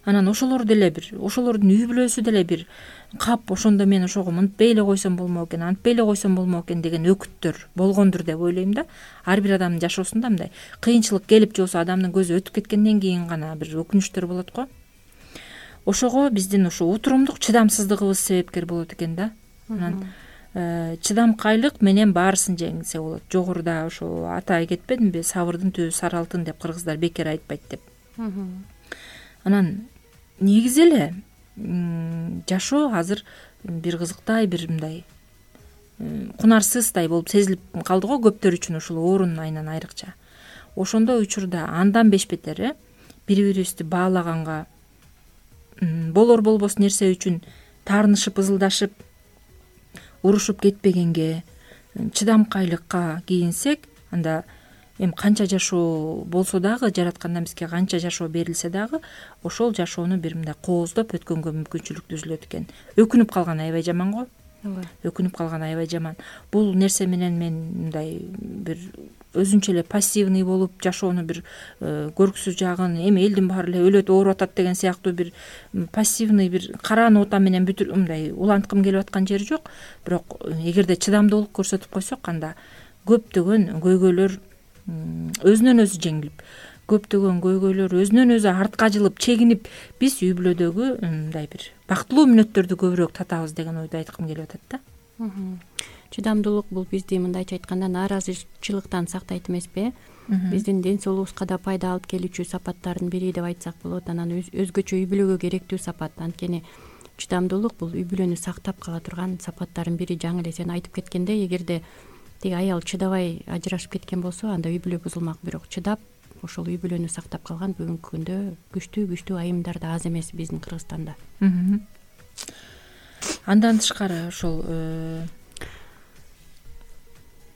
Анан ошолор деле бир, ошолордун үй бүлөсү деле бир кап, ошондо мен ошого мынтпей эле койсом болмок экен, антпей эле койсом болмок экен деген өкүттөр болгондур деп ойлойм да. Ар бир адамдын жашоосунда мындай кыйынчылык келип же болбосо адамдын көзү өтүп кеткенден кийин гана бир өкүнүчтөр болот го. Ошого биздин ушу утурумдук чыдамсыздыгыбыз себепкер болот экен да. Анан чыдамкайлык менен баарысын жеңсе болот. Жогоруда ошо атай кетпедимби, сабырдын түбү сары алтын деп кыргыздар бекер айтпайт деп. Анан негизи эле жашоо азыр бир кызыктай, бир мындай кунарсыздай болуп сезилип калды го көптөр үчүн, ушул оорунун айынан айрыкча. Ошондой учурда андан беш бетер, э, бири-бирибизди баалаганга, болор болбос нерсе үчүн таарынышып, ызылдашып, урушуп кетпегенге, чыдамкайлыкка кийинсек, анда эми канча жашоо болсо дагы, жараткандан бизге канча жашоо берилсе дагы, ошол жашоону бир мындай кооздоп өткөнгө мүмкүнчүлүк түзүлөт экен. Өкүнүп калган аябай жаман го. Өкүнүп калган аябай жаман. Бул нерсе менен мен мындай бир өзүнчө эле пассивный болуп, жашоону бир көрксүз жагын, эми элдин баары эле өлөт, ооруп атат деген сыяктуу бир пассивный, бир караан ота менен бүтүр мындай уланткым келип аткан жери жок. Бирок эгерде чыдамдуулук көрсөтүп койсок, анда көптөгөн көйгөйлөр өзүнөн өзү жеңилип, көптөгөн көйгөйлөр өзүнөн өзү артка жылып, чегинип, биз үй бүлөдөгү мындай бир бактылуу мүнөттөрдү көбүрөөк татабыз деген ойду айткым келип атат да. Чыдамдуулук бул бизди мындайча айтканда нааразычылыктан сактайт эмеспи? Биздин ден соолугубузга да пайда алып келүүчү сапаттардын бири деп айтсак болот. Анан өзгөчө үй бүлөгө керектүү сапат. Анткени чыдамдуулук бул үй бүлөнү сактап кала турган сапаттардын бири. Жаңы эле сен айтып кеткендей, эгерде тиги аял чыдабай ажырашып кеткен болсо, анда үй бүлө бузулмак. Бирок чыдап, ошол үй бүлөнү сактап калган бүгүнкү күндө күчтүү күчтүү айымдар да аз эмес биздин Кыргызстанда. Андан тышкары ошол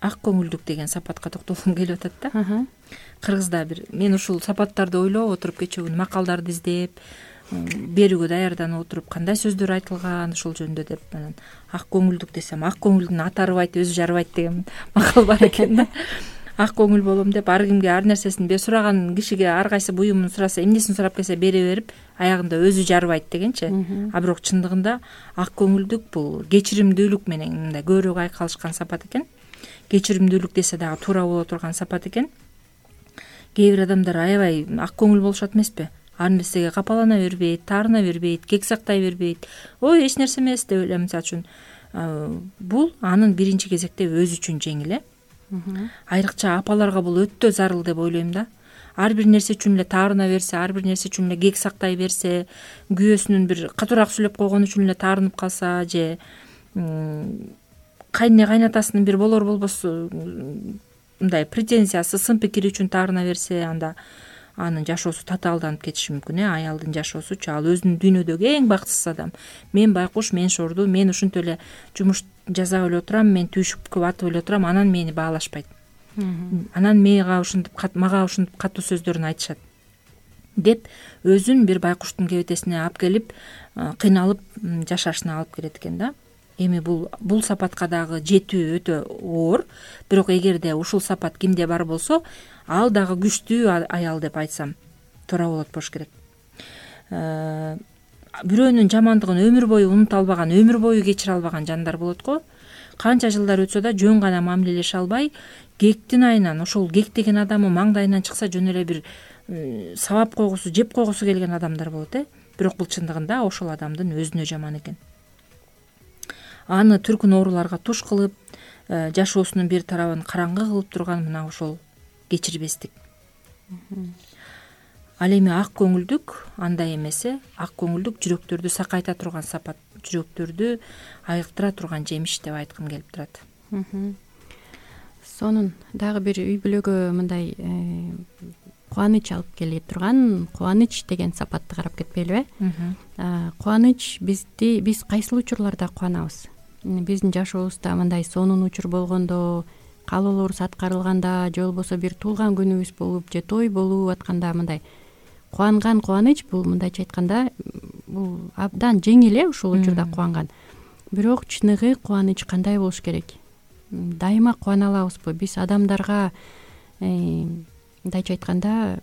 ак көңүлдүк деген сапатка токтолгум келип атат да. Кыргызда бир, мен ушул сапаттарды ойлоп отуруп кечээ күнү макалдарды издеп, берүүгө даярданып отуруп, кандай сөздөр айтылган ушул жөнүндө деп, анан ак көңүлдүк десем, ак көңүлдүн аты арыбайт, өзү жарыбайт деген макал бар экен да. Ак көңүл болом деп, ар кимге ар нерсесин бе сураган кишиге ар кайсы буюмун сураса, эмнесин сурап келсе бере берип, аягында өзү жарыбайт дегенчи. А бирок чындыгында ак көңүлдүк бул кечиримдүүлүк менен мындай көбүрөөк айкалышкан сапат экен. Кечиримдүүлүк десе дагы туура боло турган сапат экен. Кээ бир адамдар аябай ак көңүл болушат эмеспи? Ар нерсеге капалана бербейт, таарына бербейт, кек сактай бербейт. Ой, эч нерсе эмес деп эле, мисалы үчүн бул анын биринчи кезекте өзү үчүн жеңил, э. Айрыкча апаларга бул өтө зарыл деп ойлойм да. Ар бир нерсе үчүн эле таарына берсе, ар бир нерсе үчүн эле кек сактай берсе, күйөөсүнүн бир катуураак сүйлөп койгону үчүн эле таарынып калса, же кайне кайнатасынын бир болор болбос мындай претензиясы, сын пикири үчүн таарына берсе, анда анын жашоосу татаалданып кетиши мүмкүн, э. Аялдын жашоосучу, ал өзүнүн дүйнөдөгү эң бактысыз адам. Мен байкуш, мен шорду, мен ушинтип эле жумуш жасап эле отурам, мен түйшүккө батып эле отурам, анан мени баалашпайт. Анан мага ушинтип мага ушинтип катуу сөздөрүн айтышат деп өзүн бир байкуштун кебетесине алып келип, кыйналып жашашына алып келет экен да. Эми бул бул сапатка дагы жетүү өтө оор, бирок эгерде ушул сапат кимде бар болсо, ал дагы күчтүү аял деп айтсам туура болот болуш керек. Бирөөнүн жамандыгын өмүр бою унута албаган, өмүр бою кечире албаган жандар болот го. Канча жылдар өтсө да жөн гана мамилелеше албай, кектин айынан ошол кектеген адамы маңдайынан чыкса жөн эле бир сабап койгусу, жеп койгусу келген адамдар болот э. Бирок бул чындыгында ошол адамдын өзүнө жаман экен. Аны түркүн ооруларга туш кылып, жашоосунун бир тарабын караңгы кылып турган мына ошол кечирбестик. Ал эми ак көңүлдүк андай эмесе, ак көңүлдүк жүрөктөрдү сакайта турган сапат, жүрөктөрдү айыктыра турган жемиш деп айткым келип турат. Сонун дагы бир үй бүлөгө мындай кубаныч алып келе турган кубаныч деген сапатты карап кетпейлиби? Кубаныч бизди биз кайсыл учурларда кубанабыз? Биздин жашообузда мындай сонун учур болгондо, каалоолорубуз аткарылганда, же болбосо бир туулган күнүбүз болуп, же той болуп атканда мындай кубанган кубаныч бул мындайча айтканда бул абдан жеңил э ушул учурда кубанган. Бирок чыныгы кубаныч кандай болуш керек? Дайыма кубана алабызбы? Биз адамдарга мындайча айтканда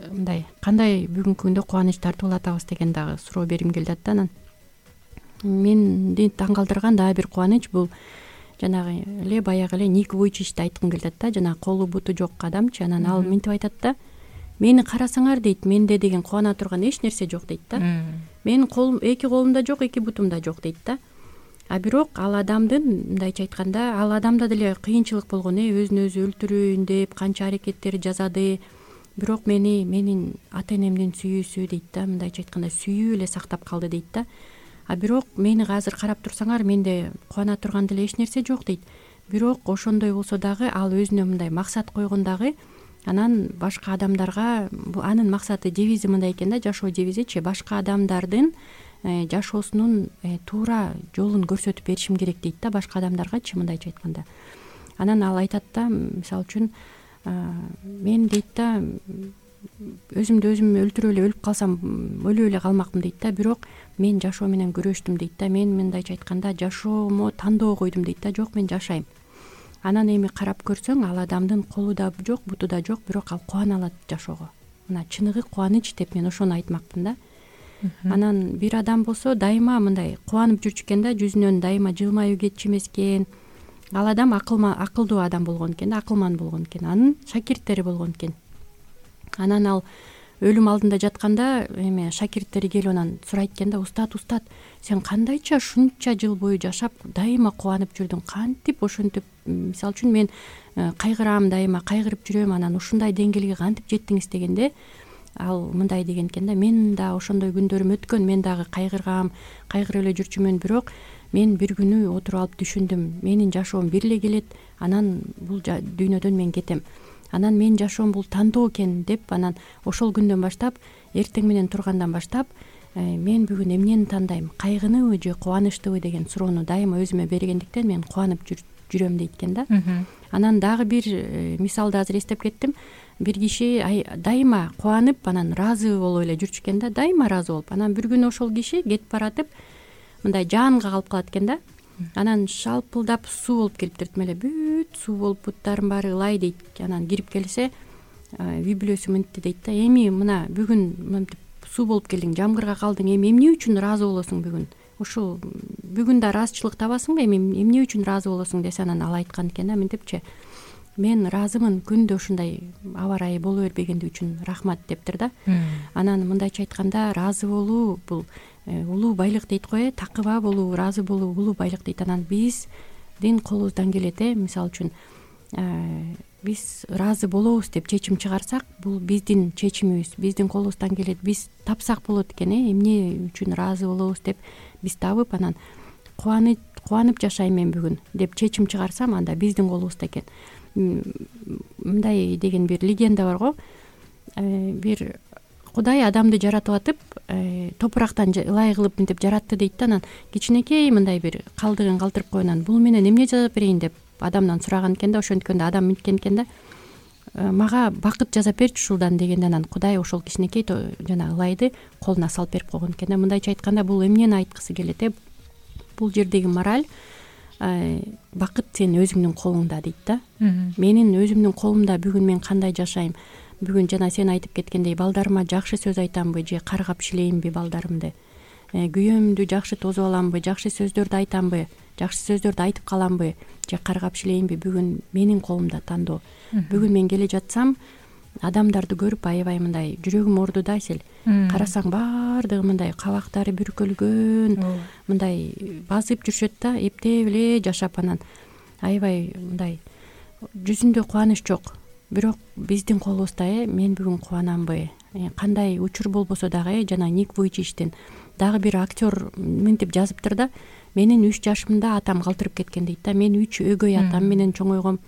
мындай кандай бүгүнкү күндө кубаныч тартып алатабыз деген дагы суроо бергим келди да. Анан менди таң калтырган дагы бир кубаныч бул жанагы эле баягы эле Ник Вуйчичти айткым келет да, жана колу буту жок адамчы. Анан ал минтип айтат да: мени карасаңар дейт, менде деген кубана турган эч нерсе жок дейт да. Менин колум, эки колумда жок, эки бутумда жок дейт да. А бирок ал адамдын мындайча айтканда ал адамда деле кыйынчылык болгон э, өзүн өзү өлтүрөйүн деп канча аракеттер жасады. Бирок мени менин ата энемдин сүйүүсү дейт да, мындайча айтканда сүйүү эле сактап калды дейт да. А бирок мени азыр карап турсаңар, менде кубана турган деле эч нерсе жок дейт. Бирок ошондой болсо дагы ал өзүнө мындай максат койгон дагы, анан башка адамдарга анын максаты, девизи мындай экен да, жашоо девизичи: башка адамдардын жашоосунун туура жолун көрсөтүп беришим керек дейт да, башка адамдаргачы мындайча айтканда. Анан ал айтат да, мисалы үчүн мен дейт да өзүмдү өзүм өлтүрүп эле өлүп калсам өлүп эле калмакмын дейт да, бирок мен жашоо менен күрөштүм дейт да. Мен мындайча айтканда жашоомо тандоо койдум дейт да, жок мен жашайм. Анан эми карап көрсөң, ал адамдын колу да жок, буту да жок, бирок ал кубана алат жашоого. Мына чыныгы кубаныч деп мен ошону айтмакмын да. Анан бир адам болсо дайыма мындай кубанып жүрчү экен да, жүзүнөн дайыма жылмаюу кетчү эмес экен. Ал адам акылдуу адам болгон экен да, акылман болгон экен, анын шакирттери болгон экен. Анан ал өлүм алдында жатканда эме шакирттери келип анан сурайт экен да: устат, устат, сен кандайча ушунча жыл бою жашап дайыма кубанып жүрдүң, кантип ошентип, мисалы үчүн мен кайгырам, дайыма кайгырып жүрөм, анан ушундай деңгээлге кантип жеттиңиз дегенде, ал мындай деген экен да: мен да ошондой күндөрүм өткөн, мен дагы кайгыргам, кайгырып эле жүрчүмүн, бирок мен бир күнү отуруп алып түшүндүм, менин жашоом бир эле келет, анан бул дүйнөдөн мен кетем. Анан менин жашоом бул тандоо экен деп, анан ошол күндөн баштап, эртең менен тургандан баштап, мен бүгүн эмнени тандайм, кайгыныбы же кубанычтыбы деген суроону дайыма өзүмө бергендиктен мен кубанып жүрөм дейт экен да. Анан дагы бир мисалды азыр эстеп кеттим. Бир киши дайыма кубанып, анан ыраазы болуп эле жүрчү экен да, дайыма ыраазы болуп. Анан бир күнү ошол киши кетип баратып мындай жаанга калып калат экен да. Анан шалпылдап суу болуп келиптир, эле бүт суу болуп, буттарым баары ылай дейт. Анан кирип келсе, үй бүлөсү мынтти дейт да: эми мына бүгүн мынтип суу болуп келдиң, жамгырга калдың, эми эмне үчүн ыраазы болосуң бүгүн? Ушул бүгүн да ыраазычылык табасыңбы, эми эмне үчүн ыраазы болосуң десе, анан ал айткан экен да, мынтипчи: мен ыраазымын, күндө ушундай аба ырайы боло бербегенди үчүн рахмат дептир да. Анан мындайча айтканда, ыраазы болуу бул улуу байлык дейт го, э, такыба болуу, ыраазы болуу улуу байлык дейт. Анан биздин колубуздан келет, э, мисалы үчүн биз ыраазы болобуз деп чечим чыгарсак, бул биздин чечимибиз, биздин колубуздан келет. Биз тапсак болот экен, э, эмне үчүн ыраазы болобуз деп биз табып, анан кубанып кубанып жашайм мен бүгүн деп чечим чыгарсам, анда биздин колубузда экен. Мындай деген бир легенда бар го. Бир Кудай адамды жаратып атып, топурактан ылай кылып мынтип жаратты дейт да. Анан кичинекей мындай бир калдыгын калтырып койгон, анан бул менен эмне жасап берейин деп адамдан сураган экен да. Ошенткенде адам мынткен экен да: мага бакыт жасап берчи ушулдан дегенде анан Кудай ошол кичинекей жана ылайды колуна салып берип койгон экен да. Мындайча айтканда бул эмнени айткысы келет э бул жердеги мораль бакыт сенин өзүңдүн колуңда дейт да. Менин өзүмдүн колумда бүгүн мен кандай жашайм, бүгүн жана сен айтып кеткендей балдарыма жакшы сөз айтамбы же каргап шилейинби балдарымды, күйөөмдү жакшы тосуп аламбы, жакшы сөздөрдү айтамбы, жакшы сөздөрдү айтып каламбы же каргап шилейинби бүгүн менин колумда тандоо. Бүгүн мен келе жатсам адамдарды көрүп аябай мындай жүрөгүм орду да сел. Карасаң баардыгы мындай кабактары бүркөлгөн, мындай басып жүрүшөт да, эптеп эле жашап, анан аябай мындай жүзүндө кубаныч жок. Бирок биздин колубузда э мен бүгүн кубанамбы, кандай учур болбосо дагы э жана Ник Вуйчичтин дагы бир актер мынтип жазыптыр да, менин үч жашымда атам калтырып кеткен дейт да. Мен үч өгөй атам менен чоңойгом.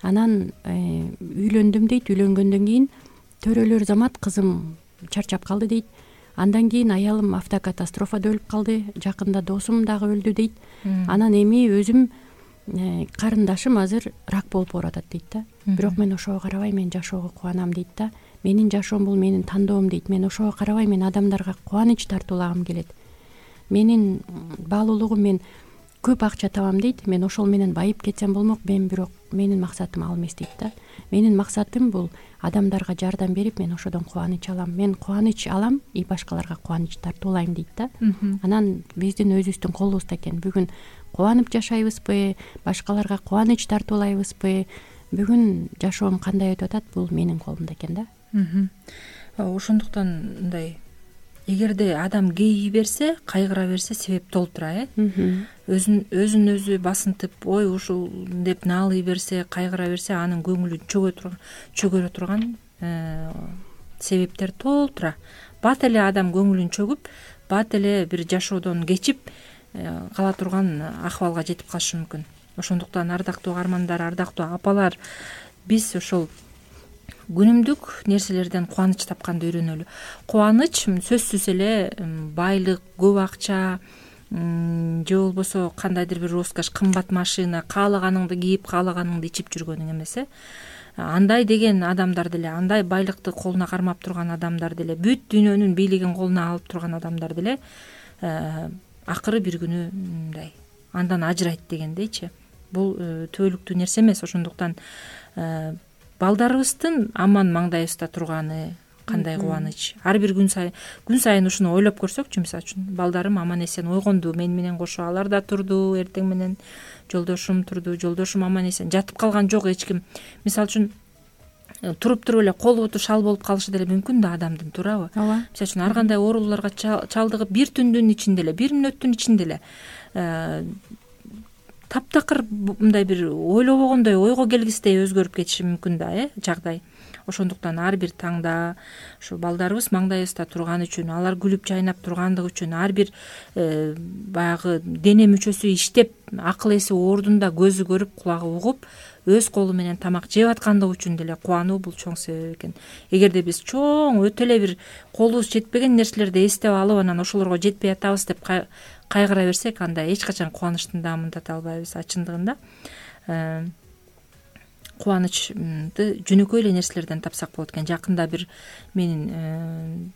Анан үйлөндүм дейт. Үйлөнгөндөн кийин төрөлөр замат кызым чарчап калды дейт. Андан кийин аялым автокатастрофада өлүп калды. Жакында досум дагы өлдү дейт. Анан эми өзүм карындашым азыр рак болуп баратат дейт да. Бирок мен ошого карабай мен жашоого кубанам дейт да. Менин жашоом бул менин тандоом дейт. Мен ошого карабай мен адамдарга кубаныч тартуулагым келет. Менин баалуулугум мен көп акча табам дейт. Мен ошол менен байып кетсем болмок. Мен бирок менин максатым ал эмес дейт да. Менин максатым бул адамдарга жардам берип мен ошодон кубаныч алам. Мен кубаныч алам и башкаларга кубаныч тартуулайм дейт да. Анан биздин өзүбүздүн колубузда экен. Бүгүн кубанып жашайбызбы, башкаларга кубаныч тартуулайбызбы, бүгүн жашоом кандай өтүп атат, бул менин колумда экен да. Ошондуктан мындай эгерде адам кейи берсе, кайгыра берсе себеп толтура э өзүн өзүн өзү басынтып ой ушул деп наалый берсе, кайгыра берсе, анын көңүлү чөгө турган чөгөрө турган себептер толтура. Бат эле адам көңүлүн чөгүп, бат эле бир жашоодон кечип кала турган акыбалга жетип калышы мүмкүн. Ошондуктан ардактуу угармандар, ардактуу апалар, биз ошол күнүмдүк нерселерден кубаныч тапканды үйрөнөлү. Кубаныч сөзсүз эле байлык, көп акча же болбосо кандайдыр бир роскошь, кымбат машина, каалаганыңды кийип, каалаганыңды ичип жүргөнүң эмес э. Андай деген адамдар деле, андай байлыкты колуна кармап турган адамдар деле, бүт дүйнөнүн бийлигин колуна алып турган адамдар деле акыры бир күнү мындай андан ажырайт дегендейчи. Бул түбөлүктүү нерсе эмес. Ошондуктан балдарыбыздын аман маңдайыбызда турганы кандай кубаныч. Ар бир күн сайын күн сайын ушуну ойлоп көрсөкчү, мисалы үчүн балдарым аман эсен ойгонду, мен менен кошо алар да турду, эртең менен жолдошум турду, жолдошум аман эсен жатып калган жок эч ким. Мисалы үчүн туруп туруп эле кол буту шал болуп калышы деле мүмкүн да адамдын, туурабы? Ооба. Мисалы үчүн ар кандай ооруларга чалдыгып бир түндүн ичинде эле, бир мүнөттүн ичинде эле таптакыр мындай бир ойлобогондой, ойго келгисиздей өзгөрүп кетиши мүмкүн да э жагдай. Ошондуктан ар бир таңда ошо балдарыбыз маңдайыбызда турганы үчүн, алар күлүп жайнап тургандыгы үчүн, ар бир баягы дене мүчөсү иштеп, акыл эси ордунда, көзү көрүп, кулагы угуп, өз колу менен тамак жеп аткандыгы үчүн деле кубануу бул чоң себеп экен. Эгерде биз чоң өтө эле бир колубуз жетпеген нерселерди эстеп алып, анан ошолорго жетпей атабыз деп кайгыра берсек, анда эч качан кубанычтын дамылдата албайбыз. Чындыгында кубанычты жөнөкөй эле нерселерден тапсак болот экен. Жакында бир менин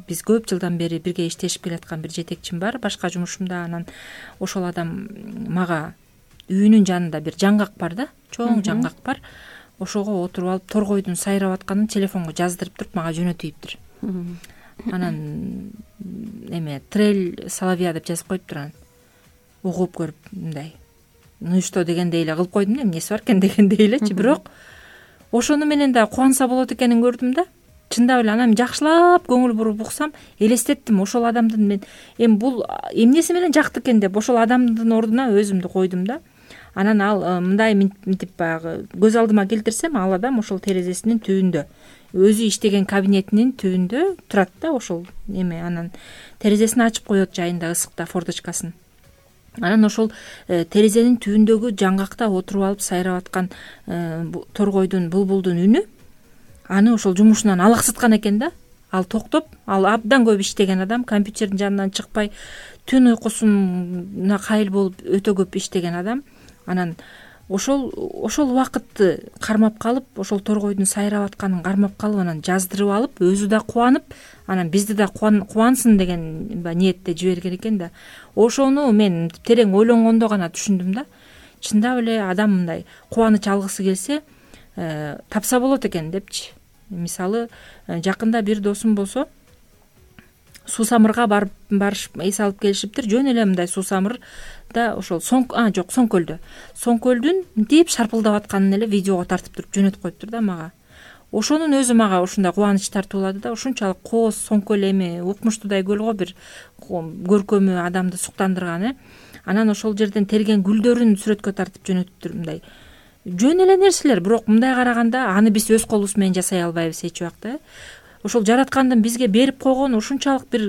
биз көп жылдан бери бирге иштешип келаткан бир жетекчим бар башка жумушумда. Анан ошол адам мага үйүнүн жанында бир жаңгак бар да, чоң жаңгак бар. Ошого отуруп алып торгойдун сайрап атканын телефонго жаздырып туруп мага жөнөтүйүптүр. Анан эме трель соловья деп жазып коюптур. Анан угуп көрүп мындай ну и что дегендей эле кылып койдум да, эмнеси бар экен дегендей элечи. Бирок ошону менен да кубанса болот экенин көрдүм да. Чындап эле анан жакшылап көңүл буруп уксам, элестеттим ошол адамдын мен эми бул эмнеси менен жакты экен деп ошол адамдын ордуна өзүмдү койдум да. Анан ал мындай мынтип баягы көз алдыма келтирсем, ал адам ошол терезесинин түбүндө, өзү иштеген кабинетинин түбүндө турат да ошол эме. Анан терезесин ачып коет жайында ысыкта форточкасын. Анан ошол терезенин түбүндөгү жаңгакта отуруп алып сайрап аткан торгойдун, булбулдун үнү аны ошол жумушунан алаксыткан экен да. Ал токтоп, ал абдан көп иштеген адам, компьютердин жанынан чыкпай, түн уйкусуна кайыл болуп өтө көп иштеген адам. Анан ошол ошол убакытты кармап калып, ошол торгойдун сайрап атканын кармап калып, анан жаздырып алып, өзү да кубанып, анан бизди да кубансын деген ниетте жиберген экен да. Ошону мен терең ойлонгондо гана түшүндүм да. Чындап эле адам мындай кубаныч алгысы келсе, тапса болот экен депчи. Мисалы, жакында бир досум болсо, суу самырга барып барышып эс алып келишиптир. Жөн эле мындай суу самырда ошол соң а жок, Соңкөлдө. Соңкөлдүн мынтип шарпылдап атканын эле видеого тартып туруп жөнөтүп коюптур да мага. Ошонун өзү мага ушундай кубаныч тартуулады да. Ушунчалык кооз Соңкөл эми укмуштуудай көл го, бир көркөмү адамды суктандырган э. Анан ошол жерден терген гүлдөрүн сүрөткө тартып жөнөтүптүр. Мындай жөн эле нерселер, бирок мындай караганда аны биз өз колубуз менен жасай албайбыз эч убакта. Ошол жараткандын бизге берип койгон ушунчалык бир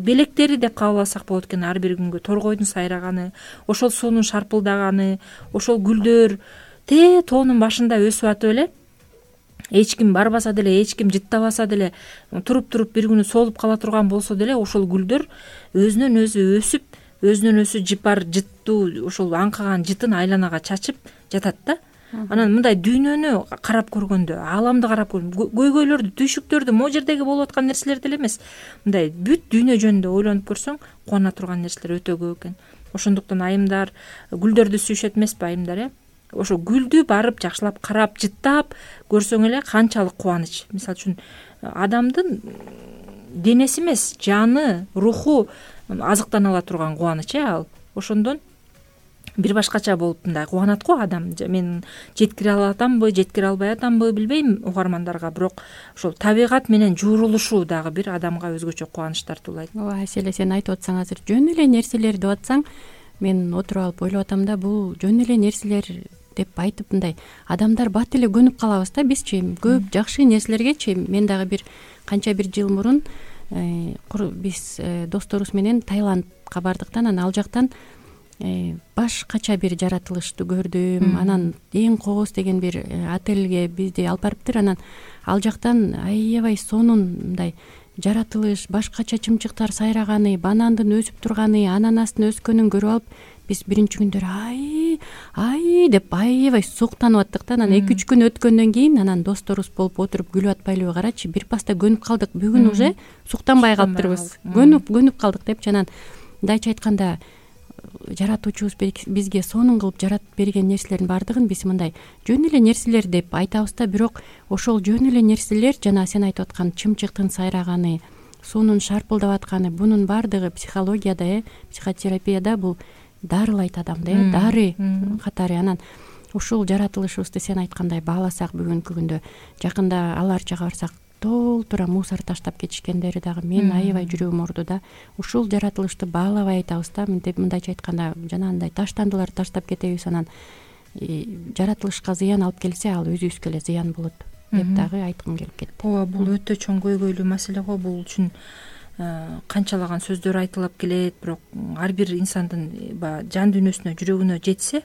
белектери деп кабыл алсак болот экен. Ар бир күнгө торгойдун сайраганы, ошол суунун шарпылдаганы, ошол гүлдөр те тоонун башында өсүп атып эле, эч ким барбаса деле, эч ким жыттабаса деле, туруп-туруп бир күнү солуп кала турган болсо деле, ошол гүлдөр өзүнөн өзү өсүп, өзүнөн өзү жыпар жыттуу ошол аңкыган жытын айланага чачып жатат да. Анан мындай дүйнөнү карап көргөндө, ааламды карап көргөндө, көйгөйлөрдү, түйшүктөрдү, могу жердеги болуп аткан нерселер деле эмес, мындай бүт дүйнө жөнүндө ойлонуп көрсөң, кубана турган нерселер өтө көп экен. Ошондуктан айымдар гүлдөрдү сүйүшөт эмеспи, айымдар э? Ошо гүлдү барып жакшылап карап, жыттап көрсөң эле канчалык кубаныч. Мисалы үчүн адамдын денеси эмес, жаны, руху азыктана ала турган кубаныч э ал. Ошондон бир башкача болуп мындай кубанат го адам. Мен жеткире алып атамбы, жеткире албай атамбы билбейм угармандарга, бирок ошол табигат менен жуурулушу дагы бир адамга өзгөчө кубаныч тартуулайт. Ооба, Аселе, сен айтып атсаң азыр жөн эле нерселер деп атсаң, мен отуруп алып ойлоп атам да, бул жөн эле нерселер деп айтып мындай адамдар бат эле көнүп калабыз да бизчи. Көп жакшы нерселергечи. Мен дагы бир канча бир жыл мурун биз досторубуз менен Таиландка бардык да, анан ал жактан башкача бир жаратылышты көрдүм. Анан эң кооз деген бир отельге бизди алып барыптыр. Анан ал жактан аябай сонун мындай жаратылыш, башкача чымчыктар сайраганы, банандын өсүп турганы, ананастын өскөнүн көрүп алып, биз биринчи күндөр ай ай деп аябай суктанып аттык да. Анан эки үч күн өткөндөн кийин анан досторубуз болуп отуруп күлүп атпайлыбы, карачы, бир паста көнүп калдык, бүгүн уже суктанбай калыптырбыз, көнүп көнүп калдык депчи. Анан мындайча айтканда, жаратуучубуз бизге сонун кылып жаратып берген нерселердин баардыгын биз мындай жөн эле нерселер деп айтабыз да, бирок ошол жөн эле нерселер, жана сен айтып аткан чымчыктын сайраганы, суунун шарпылдап атканы, бунун баардыгы психологияда, э, психотерапияда бул дарылайт адамды, э, дары катары. Анан ушул жаратылышыбызды сен айткандай бааласак, бүгүнкү күндө жакында алар жака барсак толтура мусор таштап кетишкендери дагы мен аябай жүрөгүм ооруду да. Ушул жаратылышты баалабай айтабыз да, мындайча айтканда жанагындай таштандыларды таштап кетебиз, анан жаратылышка зыян алып келсе, ал өзүбүзгө эле зыян болот деп дагы айткым келип кетти. Ооба, бул өтө чоң көйгөйлүү маселе го. Бул үчүн канчалаган сөздөр айтылып келет, бирок ар бир инсандын баягы жан дүйнөсүнө, жүрөгүнө жетсе,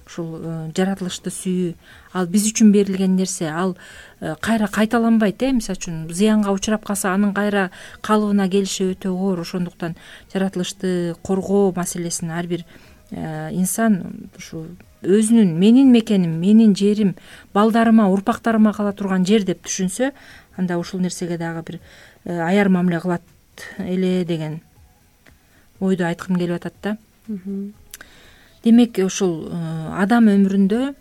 ушул жаратылышты сүйүү, ал биз үчүн берилген нерсе, ал кайра кайталанбайт. э Мисалы үчүн зыянга учурап калса, анын кайра калыбына келиши өтө оор. Ошондуктан жаратылышты коргоо маселесин ар бир инсан ушу өзүнүн менин мекеним, менин жерим, балдарыма, урпактарыма кала турган жер деп түшүнсө, анда ушул нерсеге дагы бир аяр мамиле кылат эле деген ойду айткым келип атат да. Демек, ушул адам өмүрүндө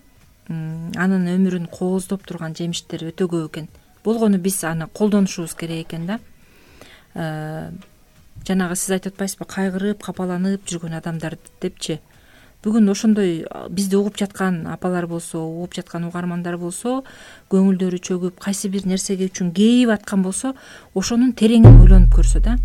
анын өмүрүн кооздоп турган жемиштер өтө көп экен. Болгону биз аны колдонушубуз керек экен да. Жанагы сиз айтып атпайсызбы, кайгырып, капаланып жүргөн адамдар депчи. Бүгүн ошондой бизди угуп жаткан апалар болсо, угуп жаткан угармандар болсо, көңүлдөрү чөгүп, кайсы бир нерсеге үчүн кейип аткан болсо, ошонун тереңин ойлонуп көрсө да.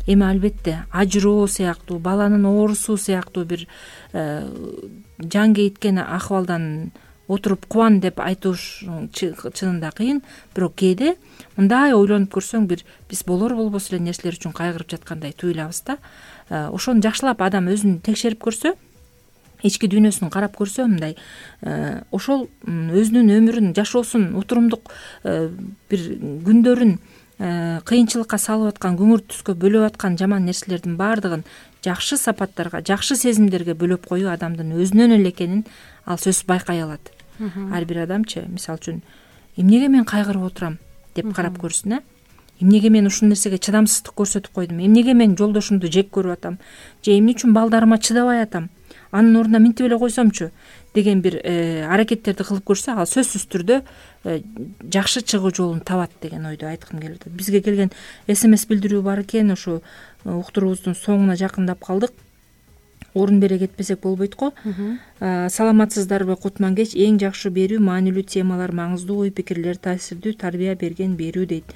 Эми албетте ажыроо сыяктуу, баланын оорусу сыяктуу бир жан кейиткен акыбалдан отуруп кубан деп айтууш чынында кыйын, бирок кээде мындай ойлонуп көрсөң, бир биз болор болбос эле нерселер үчүн кайгырып жаткандай туюлабыз да. Ошону жакшылап адам өзүн текшерип көрсө, ички дүйнөсүн карап көрсө, мындай ошол өзүнүн өмүрүн, жашоосун, утурумдук бир күндөрүн кыйынчылыкка салып аткан, көңүр түскө бөлөп аткан жаман нерселердин баардыгын жакшы сапаттарга, жакшы сезимдерге бөлөп коюу адамдын өзүнөн эле экенин ал сөзсүз байкай алат. Ар бир адамчы мисалы үчүн эмнеге мен кайгырып отурам деп карап көрсүн. э эмнеге мен ушул нерсеге чыдамсыздык көрсөтүп койдум, эмнеге мен жолдошумду жек көрүп атам же эмне үчүн балдарыма чыдабай атам, анын ордуна минтип эле койсомчу деген бир аракеттерди кылып көрсө, ал сөзсүз түрдө жакшы чыгуу жолун табат деген ойду айткым келип атат. Бизге келген смс билдирүү бар экен, ушу уктуруубуздун соңуна жакындап калдык. Орун бере кетпесек болбойт го. Саламатсыздарбы Кутмангеч, эң жакшы берүү, маанилүү темалар, маңыздуу ой пикирлер, таасирдүү тарбия берген берүү дейт.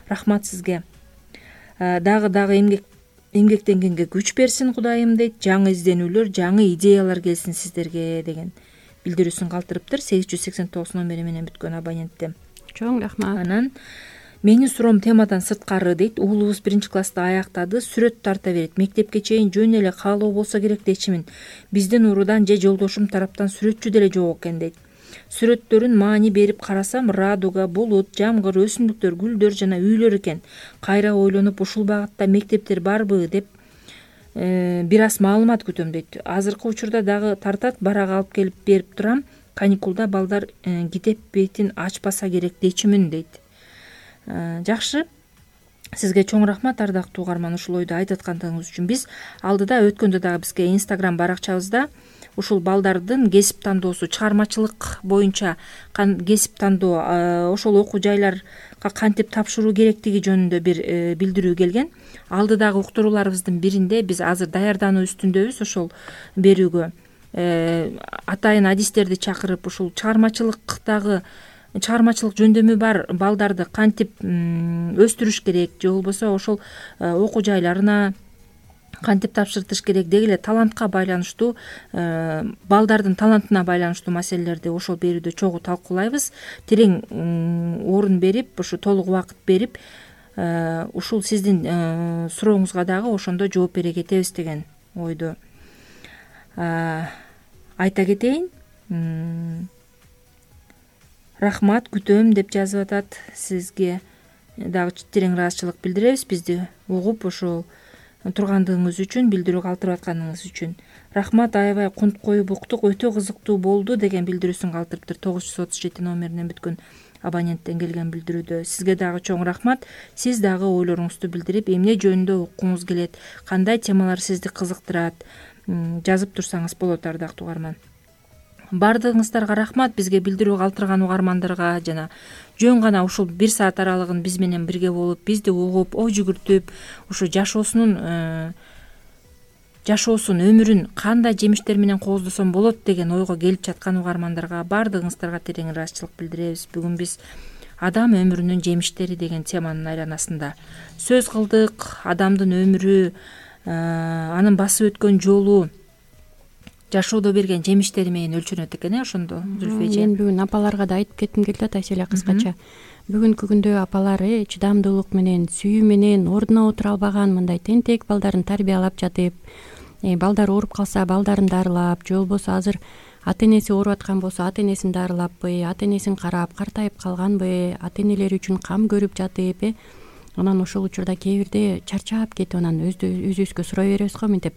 Рахмат сизге. Дагы дагы эмгек эмгектенгенге күч берсин Кудайым дейт. Жаңы изденүүлөр, жаңы идеялар келсин сиздерге деген билдирүүсүн калтырыптыр. сегиз жүз сексен тогуз номери менен бүткөн абонентте. Чоң рахмат. Анан менин суроом темадан сырткары дейт. Уулубуз биринчи класста аяктады, сүрөт тарта берет. Мектепке чейин жөн эле каалоо болсо керек дечимин. Биздин уруудан же жолдошум тараптан сүрөтчү деле жок экен дейт. Сүрөттөрүн маани берип карасам, радуга, булут, жамгыр, өсүмдүктөр, гүлдөр жана үйлөр экен. Кайра ойлонуп ушул багытта мектептер барбы деп бир аз маалымат күтөм дейт. Азыркы учурда дагы тартат, барак алып келип берип турам. Каникулда балдар китеп бетин ачпаса керек дечимин дейт. Жакшы. Сизге чоң рахмат ардактуу угарман, ушул ойду айтып аткандыгыңыз үчүн. Биз алдыда өткөндө дагы бизге Instagram баракчабызда ушул балдардын кесип тандоосу, чыгармачылык боюнча кесип тандоо, ошол окуу жайларга кантип тапшыруу керектиги жөнүндө бир билдирүү келген. Алдыдагы уктурууларыбыздын биринде биз азыр даярдануу үстүндөбүз ошол берүүгө. Атайын адистерди чакырып ушул чыгармачылыктагы чыгармачылык жөндөмү бар балдарды кантип өстүрүш керек же болбосо ошол окуу жайларына кантип тапшыртыш керек, деги эле талантка байланыштуу, балдардын талантына байланыштуу маселелерди ошол берүүдө чогуу талкуулайбыз. Терең орун берип, ушу толук убакыт берип, ушул сиздин сурооңузга дагы ошондо жооп бере кетебиз деген ойду айта кетейин. Рахмат, күтөм деп жазып атат. Сизге дагы терең ыраазычылык билдиребиз, бизди угуп ошол тургандыгыңыз үчүн, билдирүү калтырып атканыңыз үчүн. Рахмат, аябай кунт коюп уктук, өтө кызыктуу болду деген билдирүүсүн калтырыптыр. тогуз жүз отуз жети номеринен бүткөн абоненттен келген билдирүүдө. Сизге дагы чоң рахмат. Сиз дагы ойлоруңузду билдирип, эмне жөнүндө уккуңуз келет, кандай темалар сизди кызыктырат, жазып турсаңыз болот ардактуу угарман. Бардыгыңыздарга рахмат. Бизге билдирүү калтырган угармандарга жана жөн гана ушул бир саат аралыгын биз менен бирге болуп, бизди угуп, ой жүгүртүп, ушу жашоосунун жашоосун, өмүрүн кандай жемиштер менен кооздосом болот деген ойго келип жаткан угармандарга бардыгыңыздарга терең ыраазычылык билдиребиз. Бүгүн биз адам өмүрүнүн жемиштери деген теманын айланасында сөз кылдык. Адамдын өмүрү, анын басып өткөн жолу жашоодо берген жемиштери менен өлчөнөт экен, э ошондо Зүлфү эже. Мен бүгүн апаларга да айтып кетким келип атат, Айселя, кыскача. Бүгүнкү күндө апалар э чыдамдуулук менен, сүйүү менен ордуна отура албаган мындай тентек балдарын тарбиялап жатып, балдар ооруп калса балдарын дарылап, же болбосо азыр ата энеси ооруп аткан болсо ата энесин дарылаппы, ата энесин карап, картайып калганбы, ата энелери үчүн кам көрүп жатып, э анан ошол учурда кээ бирде чарчап кетип анан өзүбүзгө сурай беребиз го, мынтип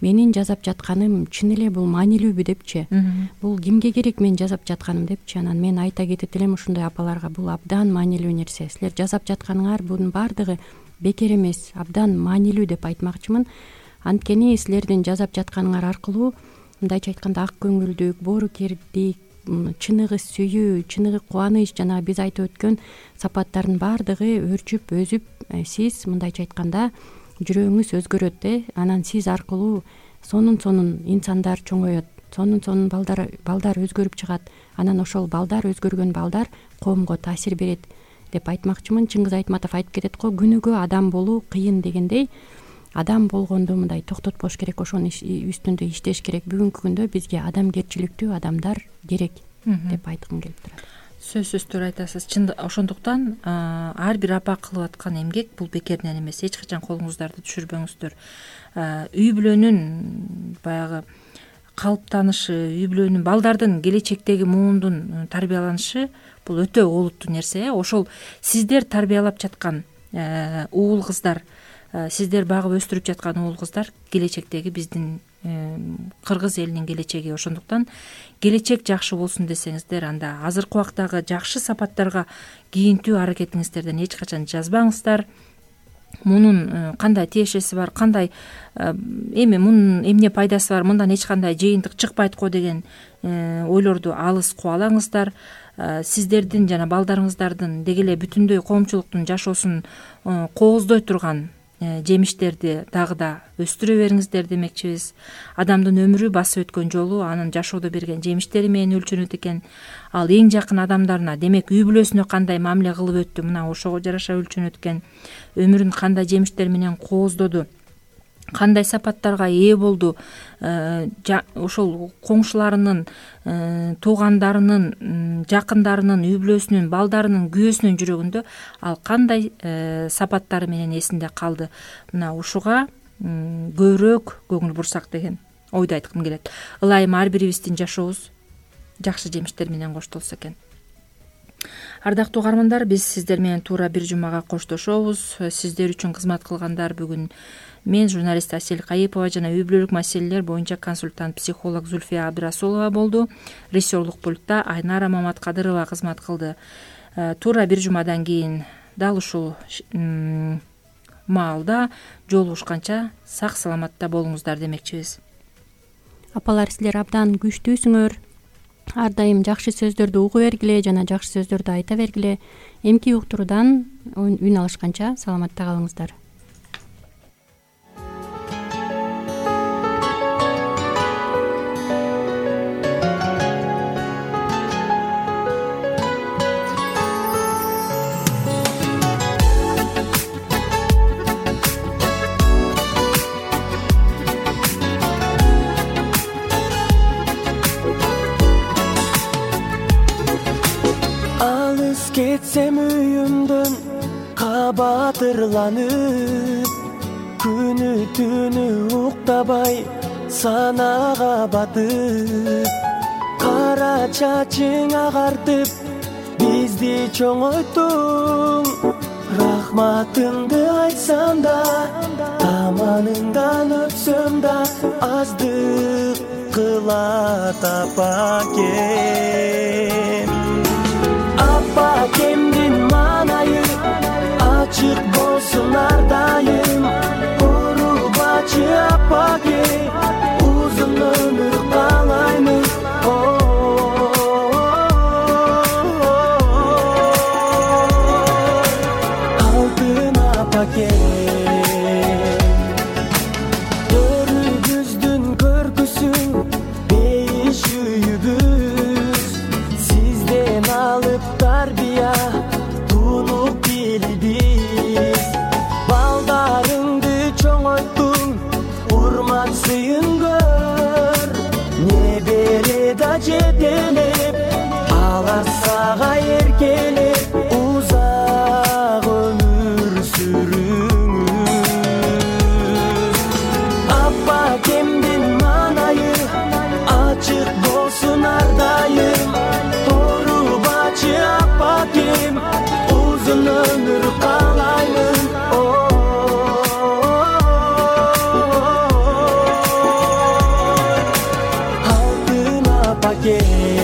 менин жасап жатканым чын эле бул маанилүүбү депчи, бул кимге керек мен жасап жатканым депчи. Анан мен айта кетет элем ушундай апаларга, бул абдан маанилүү нерсе. Силер жасап жатканыңар бунун баардыгы бекер эмес, абдан маанилүү деп айтмакчымын. Анткени силердин жасап жатканыңар аркылуу мындайча айтканда ак көңүлдүк, боорукердик, чыныгы сүйүү, чыныгы кубаныч, жана биз айтып өткөн сапаттардын баардыгы өрчүп, өзүп, сиз мындайча айтканда жүрөгүңүз өзгөрөт, э анан сиз аркылуу сонун сонун инсандар чоңоет, сонун сонун балдар балдар өзгөрүп чыгат. Анан ошол балдар, өзгөргөн балдар коомго таасир берет деп айтмакчымын. Чыңгыз Айтматов айтып кетет го, күнүгө адам болуу кыйын дегендей, адам болгонду мындай токтотпош керек, ошонун үстүндө иштеш керек. Бүгүнкү күндө бизге адамгерчиликтүү адамдар керек деп айткым келип турат. Сөзсүз туура айтасыз. Чын ошондуктан ар бир апа кылып аткан эмгек бул бекерден эмес. Эч качан колуңуздарды түшүрбөңүздөр. Үй бүлөнүн баягы калыптанышы, үй бүлөнүн балдардын келечектеги муундун тарбияланышы бул өтө олуттуу нерсе. Ошол сиздер тарбиялап жаткан уул кыздар, сиздер багып өстүрүп жаткан уул кыздар келечектеги биздин кыргыз элинин келечеги. Ошондуктан келечек жакшы болсун десеңиздер, анда азыркы убактагы жакшы сапаттарга кийинтүү аракетиңиздерден эч качан жазбаңыздар. Мунун кандай тиешеси бар, кандай эми мунун эмне пайдасы бар, мындан эч кандай жыйынтык чыкпайт го деген ойлорду алыс кубалаңыздар. Сиздердин жана балдарыңыздардын деги эле бүтүндөй коомчулуктун жашоосун кооздой турган жемиштерди дагы да өстүрө бериңиздер демекчибиз. Адамдын өмүрү басып өткөн жолу анын жашоодо берген жемиштери менен өлчөнөт экен. Ал эң жакын адамдарына, демек үй бүлөсүнө кандай мамиле кылып өттү, мына ошого жараша өлчөнөт экен. Өмүрүн кандай жемиштер менен кооздоду, кандай сапаттарга ээ болду, ошол коңшуларынын, туугандарынын, жакындарынын, үй бүлөсүнүн, балдарынын, күйөөсүнүн жүрөгүндө ал кандай сапаттары менен эсинде калды. Мына ушуга көбүрөөк көңүл бурсак деген ойду айткым келет. Ылайым ар бирибиздин жашообуз жакшы жемиштер менен коштолсо экен. Ардактуу угармандар, биз сиздер менен туура бир жумага коштошобуз. Сиздер үчүн кызмат кылгандар бүгүн мен, журналист Асель Кайыпова жана үй бүлөлүк маселелер боюнча консультант психолог Зульфия Абдрасулова болду. Режиссерлук пультта Айнара Маматкадырова кызмат кылды. Туура бир жумадан кийин дал ушул маалда жолугушканча сак саламатта болуңуздар демекчибиз. Апалар, силер абдан күчтүүсүңөр. Ар дайым жакшы сөздөрдү угу бергиле жана жакшы сөздөрдү айта бергиле. Эмки уктуруудан үн алышканча саламатта калыңыздар. Кетсем үйүмдөн кабатырланып, күнү түнү уктабай санага батып, кара чачың агартып бизди чоңойттуң. Рахматыңды айтсам да, таманыңдан өтсөм да, аздык кылат апакем. Апакемдин маанайы ачык болсун ар дайым. Урубачы апаке, узун өмүр каалаймын. Алтын апаке, төрүбүздүн көркүсүң бейиш үйүбүз. Сизден алып тарбия тунуп билбиз. Балдарыңды чоңойттуң, урмат сыйын көр. Небере да жетелеп, алар сага эркелеп, узак өмүр сүрүңүз. Апакемдин маанайы ачык болсун ар дайым. Урубачы апакем, узун өмүр каалаймын. Алтын апакем.